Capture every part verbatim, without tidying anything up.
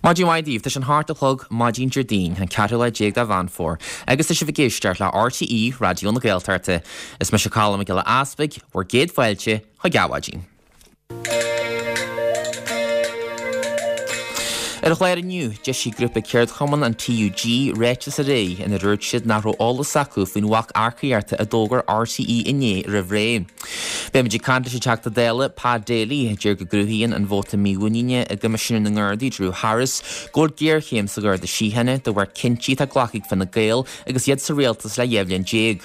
Maidin mhaith daoibh, tá sé an hocht a chlog maidin Déardaoin, an ceathrú lá déag de Mheán Fómhair, agus tá sibh ag éisteacht le RTÉ Raidió na Gaeltachta. Is mise Colm Mac Giolla Easpaig, bhur gcéad fáilte chuig Adhmhaidin. Ar an chlár inniu, d'eisigh grúpa ceardchumann an TUG ráiteas aréir ina dúirt siad nach raibh eolas acu faoin bhac earcaíochta a d'fhógair RTÉ inné roimh ré. Beimid ag caint leis an Teachta Dála Pat Daly, a deir go gcruthaíonn an vóta mímhuiníne i gCoimisinéir na nGardaí Drew Harris go bhfuil géarchéim sa Gharda Síochána de bharr cinntí atá glactha ag Fine Gael agus iad sa rialtas le dhá bhliain déag.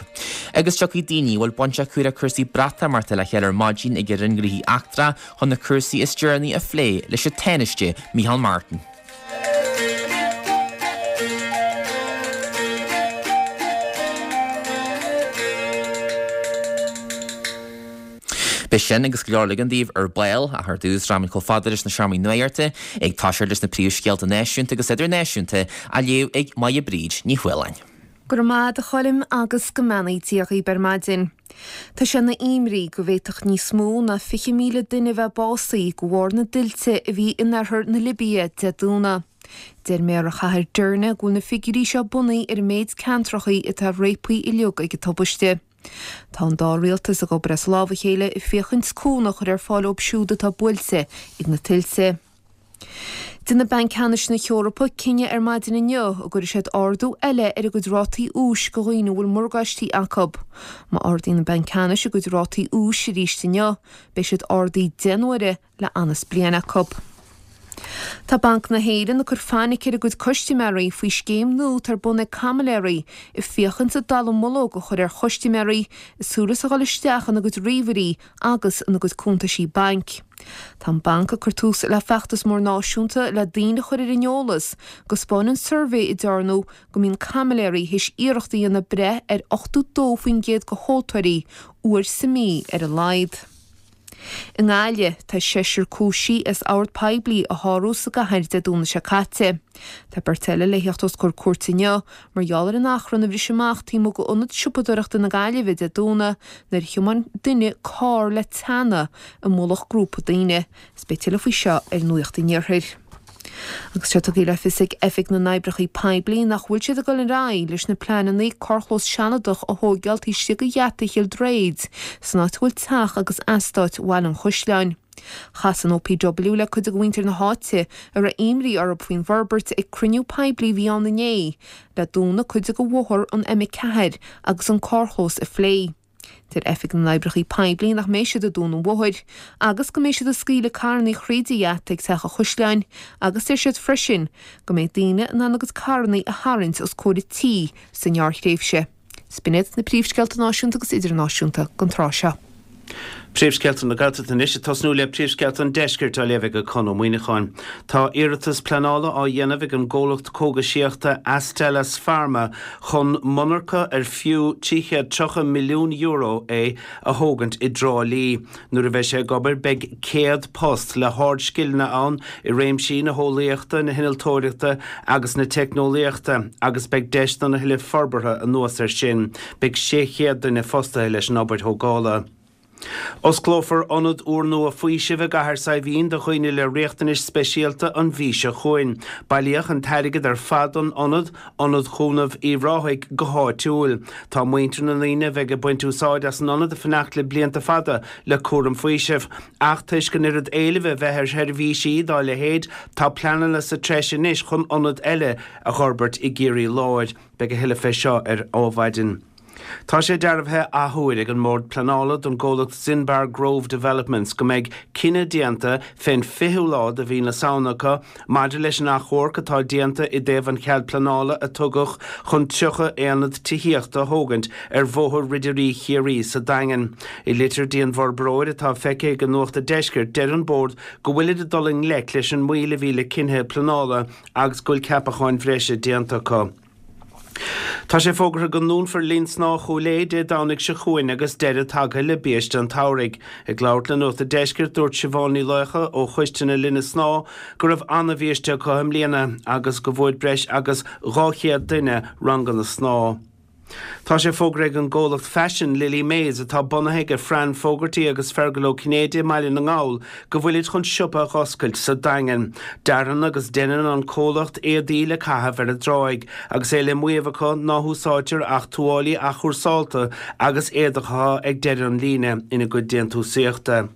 Agus tiocfaidh daoine a bhfuil baint acu le cúrsaí Breatimeachta le chéile ar maidin ag an Roinn Gnóthaí Eachtracha chun na cúrsaí is deireanaí a phlé leis an Tánaiste Micheál Martin. Beidh sin agus go leor eile againn daoibh ar ball, ach ar dtús rachaimid chomh fada leis na seomraí nuachta ag toiseacht leis na príomhscéalta náisiúnta agus idirnáisiúnta á léamh ag Máire Bríd Ní Chualáin. Go raibh maith agat a Choilm agus go mbeannaí Dia dhaoibh ar maidin. Tá sé ina imní go bhféadfadh níos mó ná fiche míle duine a bheith básaithe de bharr na dtuilte a bhí in oirthear na Libia Dé Domhnaigh. Deir méara chathair Derna go bhfuil na figiúirí seo bunaithe ar an méid ceantrachaí atá réabtha uilig ag an tubaiste. Tá an dá rialtas ag obair as lámh a chéile ag féachaint cúnamh a chur ar fáil dóibh siúd atá buailte ag na tuilte. Déanfaidh Banc Ceannais na hEorpa cinneadh ar maidin inniu an gcuirfidh siad ardú eile ar a gcuid rátaí úis do dhaoine a bhfuil morgáistí acu. Má ardaíonn an Banc Ceannais a gcuid rátaí úis arís inniu, beidh siad ardaithe deich n-uaire le anas bliain acu. Tá Banc na hÉireann ag cur fainic ar a gcuid custaiméirí faoi scéim nua atá ar bun ag caimiléirí ag féachaint an dallamullóg a chur ar chustaiméirí ag súil is a dhul isteach ina gcuid ríomhairí agus ina gcuid cuntaisí bainc. Tá an banc ag cur tús le feachtas mór náisiúnta le daoine a chur ar an eolas go 'spáineann suirbhé a dearnadh go mbíonn caimiléirí théis iarracht a dhéanamh breith ar ochtó dó faoin gcéad de thomhaltóirí uair sa mhí ar a laghad. I nGaillimh, tá seisear cúisithe as ord poiblí a shárú sa gcathair Dé Domhnaigh seo caite. Tá beirt eile le theacht os comhair cúirte inniu mar gheall ar an achrann a bhris amach taobh amuigh d'Ionad Siopadóireachta na Gaillimhe Dé Domhnaigh nuair a thiomáin duine carr le teannadh i mullach grúpa daoine. Is beidh tuilleadh faoi seo ar Nuacht an Iarthair. Agus tá tugtha le fios ag Oifig na nOibreacha Poiblí nach bhfuil siad ag dul ar aghaidh leis na pleananna carrchlós sealadach a thóigeáil taobh istigh de gheata Chill Dréid san áit a bhfuil teach agus eastát Bhaile an Chaisleáin. Chas an OPW le cuid de mhuintir na háite a raibh imní orthu faoin bhforbairt ag cruinniú poiblí a bhí ann inné le dúnadh cuid de bhóthar an M a ceathair agus an carrchlós a phlé. Deir Oifig na nOibreacha Poiblí nach mbeidh siad ag dúnadh an bhóthair agus go mbeidh siad ag scaoileadh carrannaí thríd an gheata ag Teach an Chaisleáin agus deir siad freisin go mbeidh daoine in ann a gcuid carrannaí a tharraingt os comhair an tí sa ngearrthréimhse. 'S b'in iad na príomhscéalta náisiúnta agus idirnáisiúnta don tráth seo. Príomhscéalta na Gaeltachta anois, ag tosnú le príomhscéalta an Deiscirt á léamh ag Conn Ó Muíneacháin. Tá iarratas pleanála á dhéanamh ag an gcomhlacht cógaisíochta Astellas Pharma chun monarcha ar fiú trí chéad tríocha milliún euro é a thógaint i dTrá Lí. Nuair a bheidh sé ag obair beidh céad post le hardscileanna ann i réimsí na heolaíochta, na hinnealtóireachta agus na teicneolaíochta agus beidh deis don a thuilleadh forbartha anuas air sin. Beidh sé chéad duine fostaithe leis an obair thógála. Osclófar ionad úrnua faoisimh i gCathair Saidhbhín do dhaoine le riachtanais speisialta an mhí seo chugainn. Bailíodh an t-airgead ar fad don ionad, Ionad Chúnamh Uíbh Ráthaigh, go háitiúil. Tá muintir na ndaoine a bheidh ag baint úsáid as an ionad ag fanacht le blianta fada le cúram faoisimh. Ach toisc an oiread éilimh a bheith ar sheirbhísí dá leithéid, tá pleananna sa treis anois chun ionad eile a dh'fhorbairt i gCiarraí Láir. Beidh a thuilleadh fé seo ar Adhmhaidin. Tá sé dearbhaithe athuair ag an mBord Pleanála don gcomhlacht Zinbar Grove Developments go mbeidh cinneadh déanta fén fichiú lá de mhí na Samhna acu maidir leis an achomharc atá déanta i dtaobh an chead pleanála a tugadh chun tríocha aonad tithíochta a thógaint ar Bhóthar Ridirí Chiarraí sa Daingean. I litir dtí an bhforbróir atá feicthe ag Nuacht an Deiscirt deir an Bord go bhfuilid ag dul i ngleic leis an moill a bhí le cinnthe pleanála agus go bhfuil ceapacháin bhreise déanta acu. Tá sé fógartha go ndúnfar Linn Snámha Chúil Aodha Dé Domhnaigh seo chugainn agus deireadh tagtha le biaiste an tsamhraidh. Ag labhairt le Nuacht an Deiscirt, dúirt Siobhán Ní Laocha ó Choiste na Linne Snámha go raibh ana-bhiaiste acu i mbliana agus go bhfuair breis agus dhá chéad duine ranganna snámha. Tá sé fógartha ag an gcomhlacht faisin Lily Mays atá bunaithe ag Fran Fogarty agus Fergal Ó Cinnéide i mBaile na nGall go bhfuilid chun siopa a oscailt sa Daingean. Dearann agus déanann an comhlacht éadaí le caitheamh ar an dtráigh, agus é le maíomh acu ná húsáidtear ach tuáillí athchúrsáilte agus éadach atá ag deireadh an líne ina gcuid déantúsaíochta.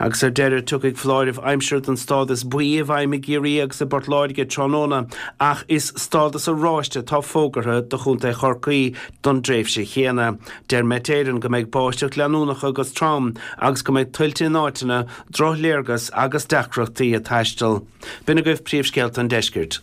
Agus ar deireadh tiocfaidh foláireamh aimsire den stádas buí i bhfeidhm i gCiarraí agus i bPort Láirge tráthnóna ach is stádas oráiste atá fógartha do Chontae Chorcaí don dtréimhse chéanna. Deir Met Éireann go mbeidh báisteach leanúnach agus trom agus go mbeidh tuilte in áiteanna, drochléargas agus deacrachtaí ag taisteal. B'in agaibh príomhscéalta an deiscirt.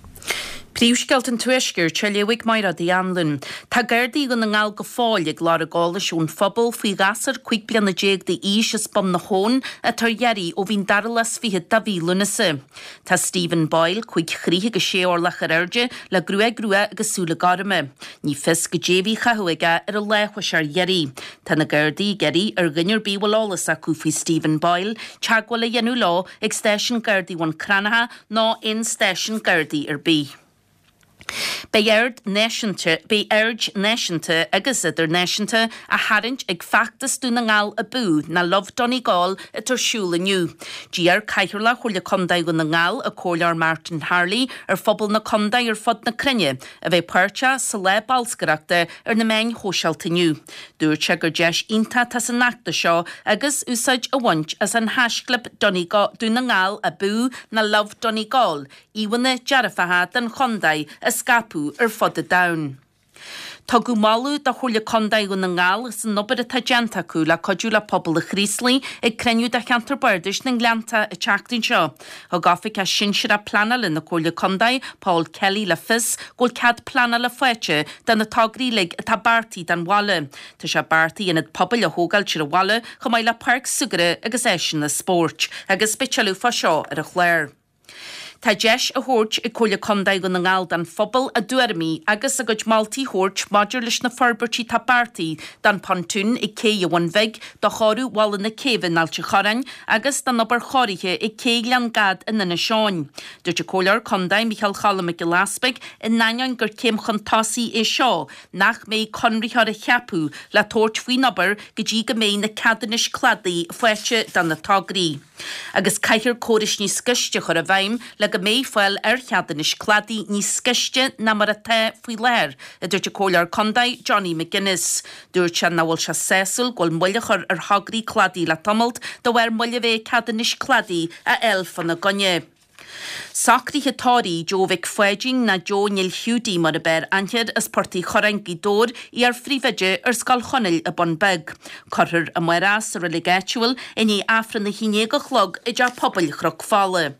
Príomhscéalta an Tuaiscirt á léamh ag Mairéad Uí Anluain. Tá Gardaí Dhún na nGall go fóill ag lorg eolais ón phobal faoi ghasúr cúig bliana déag d'aois as Bun na hAbhann atá ar iarraidh ó bhí an dara lá is fiche de mhí Lúnasa. Tá Stephen Boyle cúig throigh agus sé orlach ar airde le gruaig rua agus súile gorma. Ní fios goidé a bhí á chaitheamh aige ar an lá a chuaigh sé ar iarraidh. Tá na Gardaí ag iarraidh ar dhuine ar bith a bhfuil eolas acu faoi Stephen Boyle teagmháil a dhéanamh leo ag stáisiún Gardaí Bhun Cranncha nó aon stáisiún Gardaí ar bith. Beidh aird náisiúnta, beidh aird náisiúnta agus idirnáisiúnta á tharraingt ag feachtas Dún na nGall Abú nó Love Donegal atá ar siúl inniu. D'iarr Cathaoirleach Chomhairle Contae Dhún na nGall, an Comhairleoir Martin Harley, ar phobal na contae ar fud na cruinne a bheith páirteach sa lá bolscaireachta ar na meáin shóisialta inniu. Dúirt sé gur deis iontach atá san fheachtas seo agus úsáid a bhaint as an haisclib Dún na nGall Abú nó Love Donegal, íomhánna dearfacha den chontae a scaipeadh ar fud an domhain. Tugadh moladh do Chomhairle Contae Dhún na nGall as an obair atá déanta acu le cuidiú le pobal an Chraoslaigh ag cruinniú de Cheantar Bardais na nGleannta an tseachtain seo. Thug Oifigeach Sinsearach Pleanála na Comhairle Contae, Paul Kelly le fios go bhfuil cead pleanála faighte do na tograí uilig atá beartaithe don bhaile. Tá sé beartaithe ionad pobail a thógáilt ar an bhaile chomh maith le páirc súgartha agus áiseanna spóirt. Agus beidh tuilleadh fá seo ar an chlár. Tá deis á thabhairt ag Comhairle Contae Dhún na nGall don phobal a dtuairimí agus a gcuid moltaí a thabhairt maidir leis na forbairtí atá beartaithe don phontún ag Cé an Bhun Bhig, do chóiriú Bhalla na Céibhe in Ailt an Chorráin agus don obair chóirithe ag Cé Ghleann Gad in Inis Eoghain. Dúirt an Comhairleoir Contae Micheál Cholm Mac Giolla Easpaig in ainneoin gur céim chun tosaigh é seo nach mbeidh conraitheoir á cheapadh le tabhairt faoin obair go dtí go mbeidh na ceadúnais cladaigh faighte do na tograí. Agus caithfear córais níos gaiste a chur i bhfeidhm le go mbeidh fáil ar cheadúnais cladaigh níos gaiste ná mar atá faoi láthair, a dúirt an Comhairleoir Contae Johnny McGuinness. Dúirt sé nach bhfuil sé sásúil go bhfuil moill á chur ar thograí cladaigh le tamalt de bharr moill a bheith ag ceadúnais cladaigh a fháil fána gcoinne. Socruithe tórraimh Joe Mhic Pháidín nó Joe Neil Hiúdaí mar ab fhearr aithne air as Port Uí Churráin, Gaoth Dobhair, iar-phríomhoide ar Scoil Chonaill i Bun Beag. Cuirfear amárach sa reilig áitiúil i ndiaidh Aifreann a haon déag a chlog i dTeach Pobail Chnoc Fola.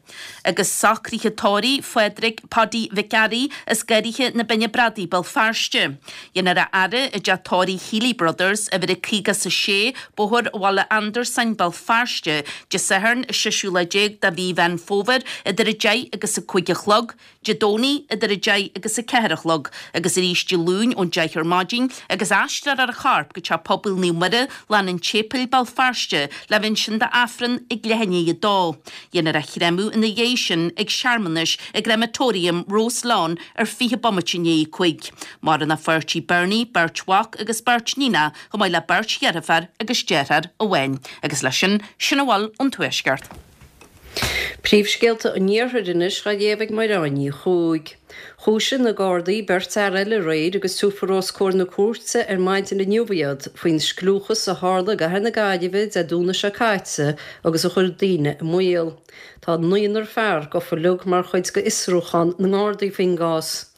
Agus socruithe tórraimh Phádraig Paddy Mhic Fhearraigh as Garraithe na Binne Bradaí, Béal Feirste. Déanfar a fhaire i dteach tórraimh Healy Brothers, uimhir a caoga is a sé, Bóthar Bhaile Andarsáin, Béal Feirste, Dé Sathairn, an seisiú lá déag de mhí Mheán Fómhair, idir a deich agus a cúig a chlog, Dé Domhnaigh idir a deich agus a ceathair a chlog, agus arís Dé Luain ón deich ar maidin, agus aistreofar a chorp go Teach Pobail Naomh Muire, Lána an tSéipéil, Béal Feirste, le bheith ansin d'Aifreann ag leath i ndiaidh a dó. Déanfar a chréamadh ina dhiaidh sin ag searmanais i gCrematorium Roselawn ar fiche bomaite i ndiaidh a cúig. Maireann a pháirtí Bernie, beirt mhac agus beirt níonacha, chomh maith le beirt dheirféar agus deartháir amháin. Agus leis sin, sin a bhfuil ón Tuaisceart. Príomhscéalta an Iarthair anois á léamh ag Mairéad Ní Chuaig. Chúisigh na Gardaí beirt fhear eile aréir agus tabharfar os comhair na cúirte ar maidin inniu iad faoin scliúchas a tharla i gcathair na Gaillimhe Dé Domhnaigh seo caite agus a chuir daoine i mbaol. Tá naonúr fear gafa uilig mar chuid de fhiosrúchán na nGardaí faoin gcás.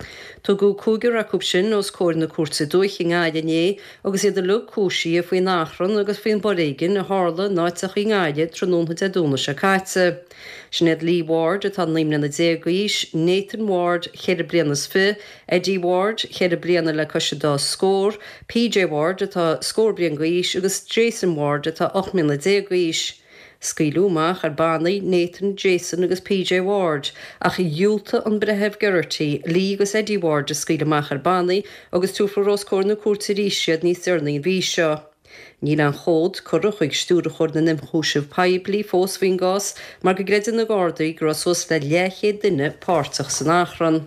Tugadh cúigear acu sin os comhair na Cúirte Dúiche i nGaillimh inné agus iad uilig cúisithe faoin achrann agus faoin bhforéigean a tharla in áiteacha i nGaillimh tráthnóna Dé Domhnaigh seo caite. Sin iad Lee Ward atá naoi mbliana déag d'aois, Nathan Ward, ceithre bliana is fiche, Eddie Ward, ceithre bliana le cois an dá scór, PJ Ward atá scór bliain d'aois agus Jason Ward atá ocht mbliana déag d'aois. Scaoileadh amach ar bannaí Nathan, Jason agus PJ Ward ach dhiúltaigh an Breitheamh Geraghty Lee agus Eddie Ward a scaoileadh amach ar bannaí agus tabharfar os comhair na cúirte arís iad níos deireanaí an mhí seo. Níl aon chomhad curtha chuig Stiúrthóir na nIomchúiseamh Poiblí fós faoin gcás mar go gcreideann na Gardaí go raibh suas le leathchéad duine páirteach san achrann.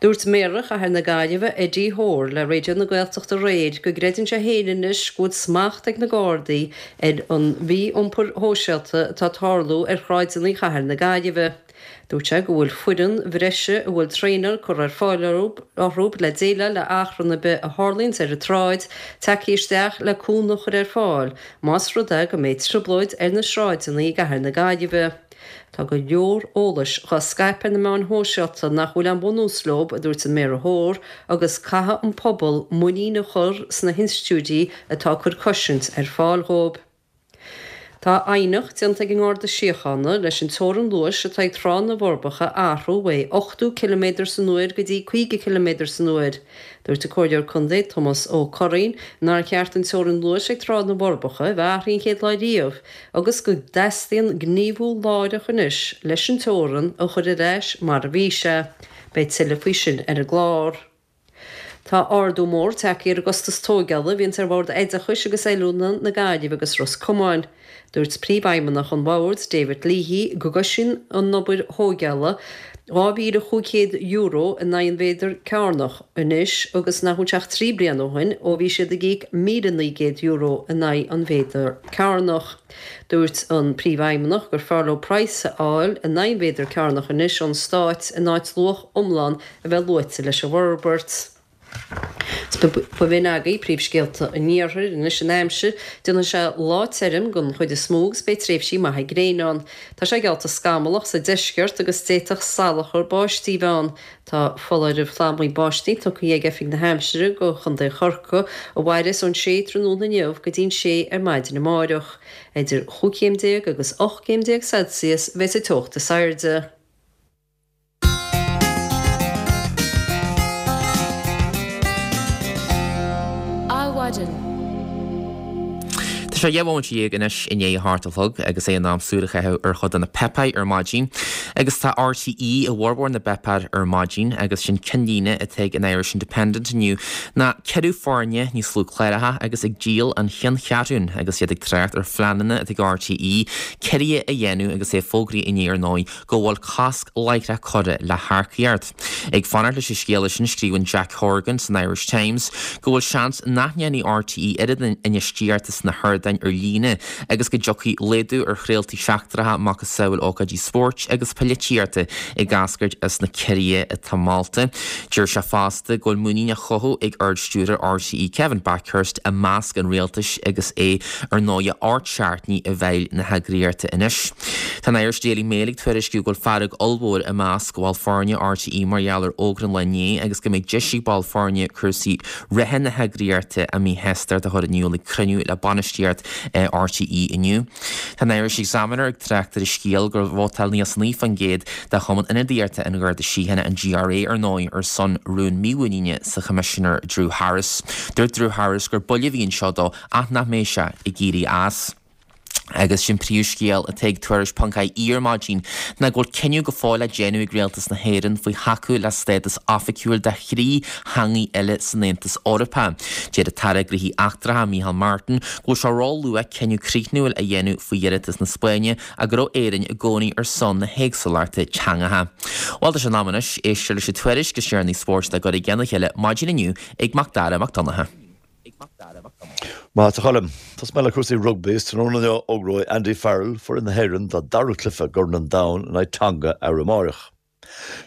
Dúirt Méara Chathair na Gaillimhe, Eddie Hoare, le Raidió na Gaeltachta aréir go gcreideann sé féin anois go bhfuil smacht ag na Gardaí ar an mhí-iompar shóisialta atá ag tarlú ar shráideanna chathair na Gaillimhe. Dúirt sé go bhfuil foireann bhreise a bhfuil traenáil curtha ar fáil orthu le déileáil le achrann ar bith a tharlaíonns ar an tsráid tagtha isteach le cúnamh a chur ar fáil más rud é go mbeidh trioblóid ar na sráideanna i gcathair na Gaillimhe. Tá go leor eolais dhá scaipeadh ar na meáin shóisialta nach bhfuil aon bhunús leo, a dúirt an Méara Hoare, agus caithfidh an pobal muinín a chur sna hinstitiúidí atá ag cur cosaint ar fáil dhóibh. Tá aighneacht déanta ag an nGarda Síochána leis an teorainn luais atá ag Trá na bhForbacha a athrú uaidh ochtó ciliméadar san uair go dtí caoga ciliméadar san uair. Dúirt an Comhairleoir Contae Tomás Ó Curraoin nár cheart an teorainn luais ag Trá na bhForbacha a bheith athraithe an chéad lá riamh agus go dteastaíonn gníomhú láithreach anois leis an teorainn a chur ar ais mar a bhí sé. Beidh tuilleadh faoi sin ar an gclár. Tá ardú mór tagtha ar an gcostas tóigeála a bhíonns ar Bhord Oideachais agus Oiliúna na Gaillimhe agus Ros Comáin. Dúirt Príomhfheidhmeannach an Bhoird, David Leahy, go gcoisíonn an obair thóigeála dhá mhíle chúig chéad euro in aghaidh an mhéadar cearnach anois agus nach bhfuil sé ach trí bliana ó shin ó bhí siad ag íoc míle naoi gcéad euro in aghaidh an mhéadar cearnach. Dúirt an Príomhfheidhmeannach gur fearr leo praghas a fháil in aghaidh an mhéadar cearnach anois ón Stát in áit luach iomlán a bheith luaite leis an bhforbairt. B'in agaibh príomhscéalta an iarthair anois an aimsir. Déanfaidh sé lá tirim den chuid is mó agus beidh tréimhsí maithe gréine ann. Tá sé geallta scamallach sa deisceart agus d'fhéadfadh salachar báistí bheith ann. Tá foláireamh plámaí báistí tugtha ag Oifig na hAimsire do Chontae Chorcaí a mhairfeas ón sé tráthnóna inniu go dtí'n sé ar maidin amáireach. Idir chúig chéim déag agus ocht gcéim déag Celsius a bheidh sa teocht is airde. Adhmhaidin. Tá sé dhá bhomaite dhéag anois i ndiaidh a hocht a chlog agus é in am súil a chaitheamh ar chuid de na páipéir ar maidin. Agus tá RTÉ i bhformhór na bpáipéar ar maidin agus sin ceannlíne atá ag an Irish Independent inniu ná ciorrú foirne, níos lú cláracha agus ag díol an cheanncheathrún agus iad ag trácht ar phleananna atá ag RTÉ ciorruithe a dhéanamh agus é fógraithe inné ar ndóigh go bhfuil cosc láithreach curtha le hearcaíocht. Ag fanacht leis an scéala sin, scríobhann Jack Horgan san Irish Times go bhfuil seans nach ndéanfaidh RTÉ oiread infheistíochta sna hardáin ar líne agus go dtiocfaidh laghdú ar chraoltaí seachtracha macasamhail ócáidí spóirt agus polaitíochta ag eascairt as na ciorruithe atá molta. Deir sé fosta go bhfuil muinín á chothú ag Ard-Stiúrthóir RTÉ Kevin Bakhurst i measc an rialtais agus é ar ndóigh ocht seachtainí i bhfeighil na heagraíochta anois. Tá an Irish Daily Mail ag tuairisciú go bhfuil fearg ollmhór i measc bhaill foirne RTÉ mar gheall ar fhógra an lae inné agus go mbeidh deis ag baill foirne cúrsaí reatha na heagraíochta a míshástacht a chur in iúl ag cruinniú le bainistíocht RTÉ inniu. Tá an Irish Examiner ag trácht ar an scéal gur vótáil níos naoi faoin gcéad de Chumann Ionadaíochta an Gharda Síochána, an GRA, ar ndóigh, ar son rún mímhuiníne sa Choimisinéir Drew Harris. Dúirt Drew Harris gur buille a bhí anseo dó ach nach mbeidh sé ag éirí as. Agus sin príomhscéal atá ag Tuairisc ponc ie ar maidin ná go bhfuil cinneadh go fóill le déanamh ag Rialtas na hÉireann faoi thacú le stádas oifigiúil de thrí theangaí eile san Aontas Eorpach. Deir an tAire Gnóthaí Eachtracha Micheál Martin go bhfuil sé ró-luath cinneadh críochnúil a dhéanamh faoi iarratas na Spáinne ach go raibh Éirinn i gcónaí ar son na héagsúlachta teangacha. Bhuel tá sé in am anois éisteacht leis an tuairisc is deireanaí spóirt le cur i gceann a chéile maidin inniu ag Macdara Mac Donncha. Maith, a Choilm. Tosóidh mé le cúrsaí rugbaí is tráthnóna inniu fógróidh Andy Farrell foireann na hÉireann dá dara cluiche i gCorn an Domhain in aghaidh Tonga arú amárach.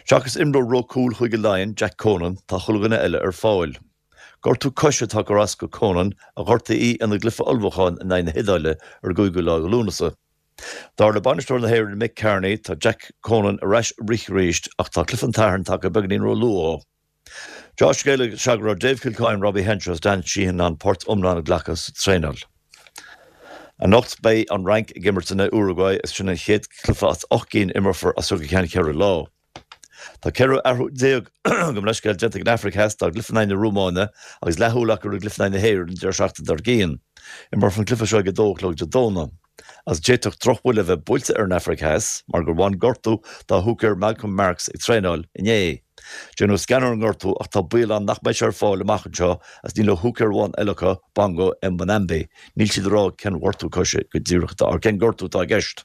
Seachas imreoir ró cúil Chúige Laighean, Jack Conan, tá chuile dhuine eile ar fáil. Gortú coise atá ag cur as do Conan, a gortaíodh ina gcluiche ullmhúcháin in aghaidh na hIodáile ar an gcúigiú lá de Lúnasa. Dar le bainisteoir na hÉireann Mick Kearney, tá Jack Conan ar ais ag rith arís ach tá cluiche an tSathairn tagtha beagáinín ró-luath dó. Deá-scéala is ea go raibh Dave Kilcoyne, Robbie Henshaw is Dan Sheehan in ann páirt iomlán a ghlacadh sa traenáil. Anocht beidh an Fhrainc ag imirt in aghaidh Uruguay is sin an chéad chluiche as ocht gcinn a imreofar as seo go ceann ceithre lá. Tá ceithre athrú déag, gabh mo leithscéal, déanta ag an Afraic Theas dá gcluiche in aghaidh na Rómáine agus leathshúil acu ar an gcluiche in aghaidh na hÉireann an deireadh seachtaine dár gcionn. Imreofar an cluiche seo ag a dó a chlog Dé Domhnaigh. Agus d'fhéadfadh drochbhuille a bheith buailte ar an Afraic Theas mar gur bhain gortú dá húicéir Malcolm Marx ag traenáil inné. Déanadh scan ar an ngortú ach tá baol ann nach mbeidh sé ar fáil amach anseo agus níl ach húicéir amháin eile acu, Bongo Mbonambi. Níl siad ag rá cén ghortú coise go díreach atá, cén gortú atá i gceist.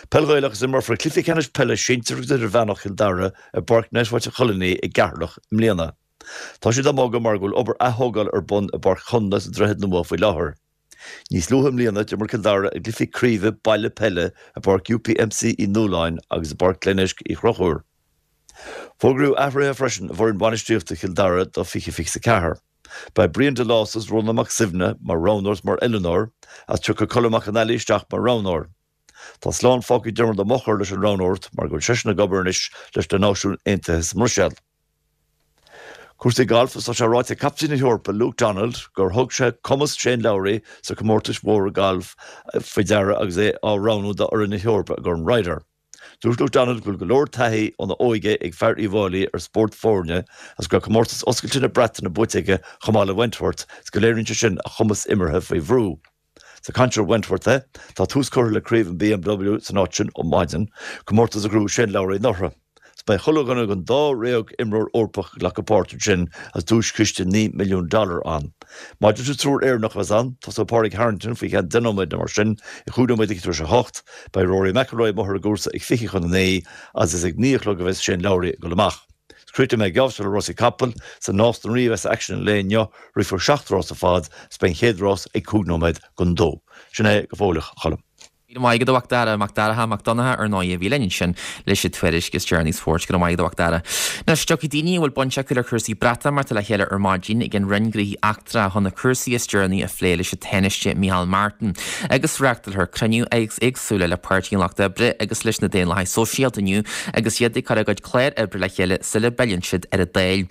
Peil Ghaelach is imreofar cluiche ceannais peile sinsir agus idirmheánach Chill Dara i bPáirc Netwatch Choluimní i gCeatharlach i mbliana. Tá siad á mbogadh mar go bhfuil obair aththógála ar bun i bPáirc Chonla sa Droichead Nua faoi láthair. Níos luaithe i mbliana d'imir Cill Dara i gcluichí craoibhe baile peile i bPáirc UPMC Uí Nualláin agus i bPáirc Glenisk Uí Chonchúir. Fógraíodh athruithe freisin i bhfoireann bainistíochta Chill Dara do fiche fiche a ceathair. Beidh Brian Delos is Rónán Mac Suibhne mar roghnóir is mar oiliúnóir agus tiocfaidh Colm Mac Con Ailí isteach mar roghnóir. Tá slán fágtha ag Diarmuid Ó Mochur leis an roghnóireacht mar go bhfuil seisean ag obair anois leis na Náisiúin Aontaithe sa mBruiséil. Cúrsaí gailf Tá sé ráite ag captaen na hEorpa Luke Donald gur thug sé cumas Shane Lowry sa comórtais mhóra gailf faoi deara agus é á roghnú do fhoireann na hEorpa i gCorn Ryder. Dúirt Luke Donald go bhfuil go leor taithí óna óige ag fear Uíbh Fhailí ar spórt foirne agus go raibh comórtas oscailte na Breataine buaite aige chomh maith le Wentworth is go léiríonn sé sin a chumas imeartha faoi bhrú. Ag caint ar Wentworth é, tá tús curtha le craobh an BMW san áit sin ó maidin, comórtas a ghnóthaigh Shane Lowry anuraidh. Is beidh chuile dhuine den dáréag imreoir Eorpach ag glacadh páirt ansin agus duaischiste naoi milliún dollar ann. Maidir leis an triúr Éireannach a bheas ann, tosóidh Pádraig Harrington faoi cheann deich nóiméad nó mar sin, ag cúig nóiméad tar éis a hocht, beidh Rory McIlroy amuigh ar an gcúrsa ag fiche chun a naoi agus is ag naoi a chlog a bheas Shane Lowry ag dul amach. Críochnóidh mé geábh le rásaí capall sa Nás na Rí a bheas aicsean an lae inniu, rithfear seacht rás ar fad, is beidh an chéad rás ag cúig nóiméad don dó. Sin é go fóilleach, a Choilm. Míle maith agat a Mhac Dara, Mac Dara Mac Donncha ar ndóigh a bhí linn ansin leis an tuairisc is deireanaí spóirt go raibh maith agat a Mhac Dara. Anois tiocfaidh daoine a bhfuil baint acu le cúrsaí Breatimeachta le chéile ar maidin ag an Roinn Gnóthaí Eachtracha chun na cúrsaí is deireanaí a phlé leis an Tánaiste Micheál Martin agus reáchtálfar cruinnithe éagsúla le Páirtí an Lucht Oibre agus leis na Daonlathaigh Sóisialta inniu agus iad ag cur a gcuid clár oibre le chéile sula bpilleann siad ar an Dáil.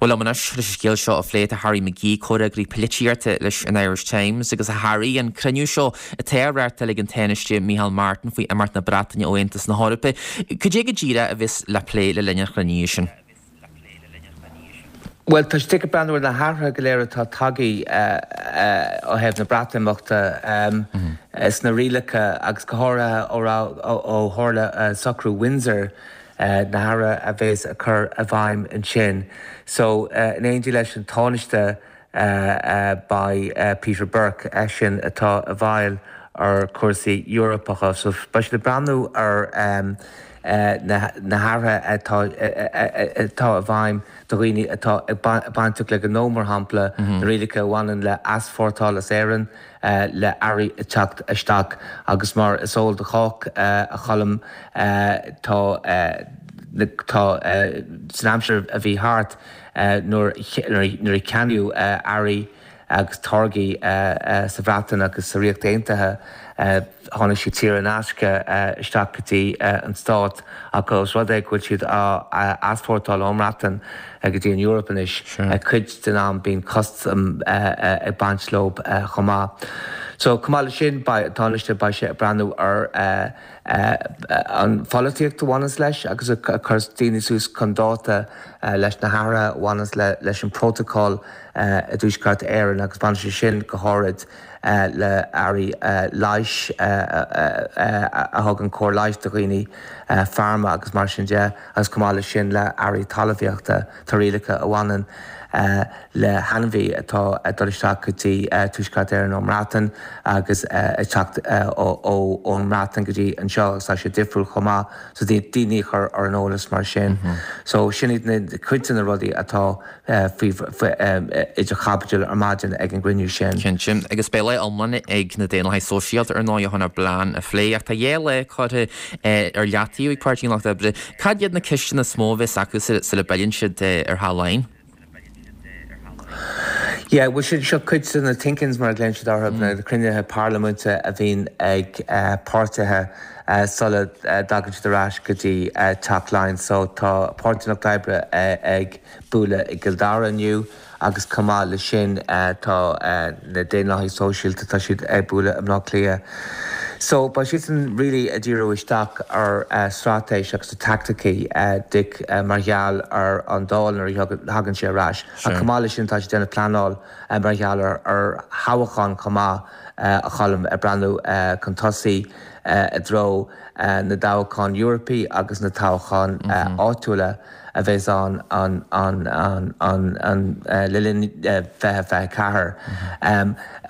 Bhuel liom anois leis an scéal seo a phlé tá Harry McGee comhfhreagraí polaitíochta leis an Irish Times agus a Harry an cruinniú seo atá á reáchtáil ag an Tánaiste Micheál Martin faoi imeacht na Breataine ó Aontas na hEorpa. Cad é go díreach a bheas le plé le linn an chruinnithe sin. Well tá siad ag breathnú ar na hathruithe go léir atá tagtha ó thaobh na Breatimeachta sna rialacha agus go háirithe ó tharla socrú Windsor na hathruithe a bheas a chur i bhfeidhm ansin. So in éindí leis an Tánaiste beidh Peter Burke eisean atá i bhfeighil ar chúrsaí Eorpacha, so beidh siad ag breathnú ar na hathruithe atá atá i bhfeidhm do dhaoine atá ag bainteach le gnó mar shampla na rialacha a bhaineann le heaspórtáil as Éirinn le earraí ag teacht isteach agus mar is eol do chách a Choilm tá tá san aimsir a bhí thart nuair nuair a ceannaíodh earraí agus táirgí sa Bhreatain agus sa Ríocht Aontaithe tháinig siad saor in aisce isteach go dtí an stát ach os rud é go bhfuil siad á easpórtáil ón mBreatain go dtí an Eoraip anois cuid den am bíonn custam ag baint leo chomh maith. So chomh maith leis sin Tánaiste beidh sé ag breathnú ar an pholaitíocht a bhaineanns leis agus a chur daoine suas chun dáta leis na hathruithe a bhaineanns leis an bprótacal i dTuaisceart Éireann agus baineann sé sin go háirid le earraí leighis a thugann cóir leighis do dhaoine pharma agus mar sin de agus chomh maith leis sin le earraí talmhaíochta tá rialacha a bhaineann le hainmhí atá ag dul isteach go dtí Tuaisceart Éireann ón mBreatain agus ag teacht ón mBreatain go dtí anseo agus tá sé difriúil chomh maith so daoine a chur ar an eolas mar sin. So sin iad na cuid de na rudaí atá faoi idir chaibidil ar maidin ag an gcruinniú sin. Cinnte, agus beidh lá iomlán ag na Daonlathaigh Sóisialta ar ndóigh chun a bplean a phlé ach tá dhá lá curtha ar leataobh ag Páirtí an Lucht Oibre. Cad iad na ceisteanna is mó a bheas acu sula bpilleann siad ar Theach Laighean? Yeah, well sin seo cuid de na think-ins mar a ghlaonn siad orthu na cruinnithe parlaiminte a bhíonn ag páirtithe sula dtagann siad ar ais go dtí Teach Laighean. So tá Páirtí an Lucht Oibre ag bualadh i gCill Dara inniu agus chomh maith leis sin tá na Daonlathaigh Sóisialta tá siad ag bualadh i mBleá Cliath. So beidh siadsan really ag díriú isteach ar straitéis agus na taicticí Dick mar gheall ar an Dáil nuair a thagann sé ar ais. Ach chomh maith leis sin tá siad ag déanamh pleanáil mar gheall ar ar thoghchán chomh maith a Choilm ag breathnú chun tosaigh i dtreo na dtoghchán Eorpaí agus na toghcháin áitiúla a bheas ann an an an an an le linn fiche fiche ceathair.